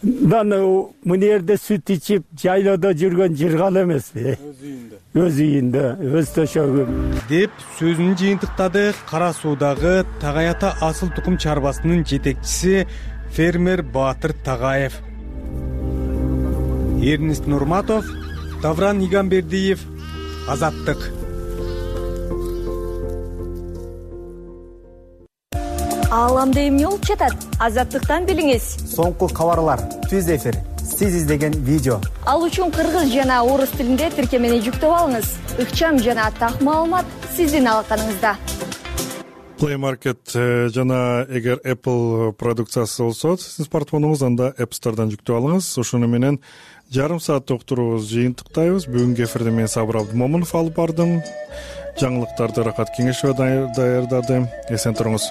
даны мына жерде сүт ичип, жайлоодо жүргөн жыргал эмеспи? Өз үйүндө. Өз үйүндө, өз төшөгү деп сөзүн жыйынтыктады Кара Суудагы Tagay Ата асыл тукум чарбасынын жетекчиси фермер Баатыр Тагаев. Эрнест Нурматов, Давран Игамбердиев, Азаттык. Ааламда эмне болуп жатат? Азаттыктан билиңиз. Соңку кабарлар, түз эфир, сиз издеген видео. Ал үчүн кыргыз жана орус тилинде тиркемени жүктөп алыңыз. Ыкчам жана так маалымат сиздин алаканыңызда. Play Market жана эгер Apple продукциясы болсо, сиздин смартфонуңуз анда App Store'дан жүктөп алыңыз. Ошону менен жарым саат уктуруубуз жыйынтыктайбыз. Бүгүнкү эфирде мен Сабыр Абдымомунов алып бардым. Жаңылыктарды Рахат Кеңешова даярдады. Эсен туруңуз.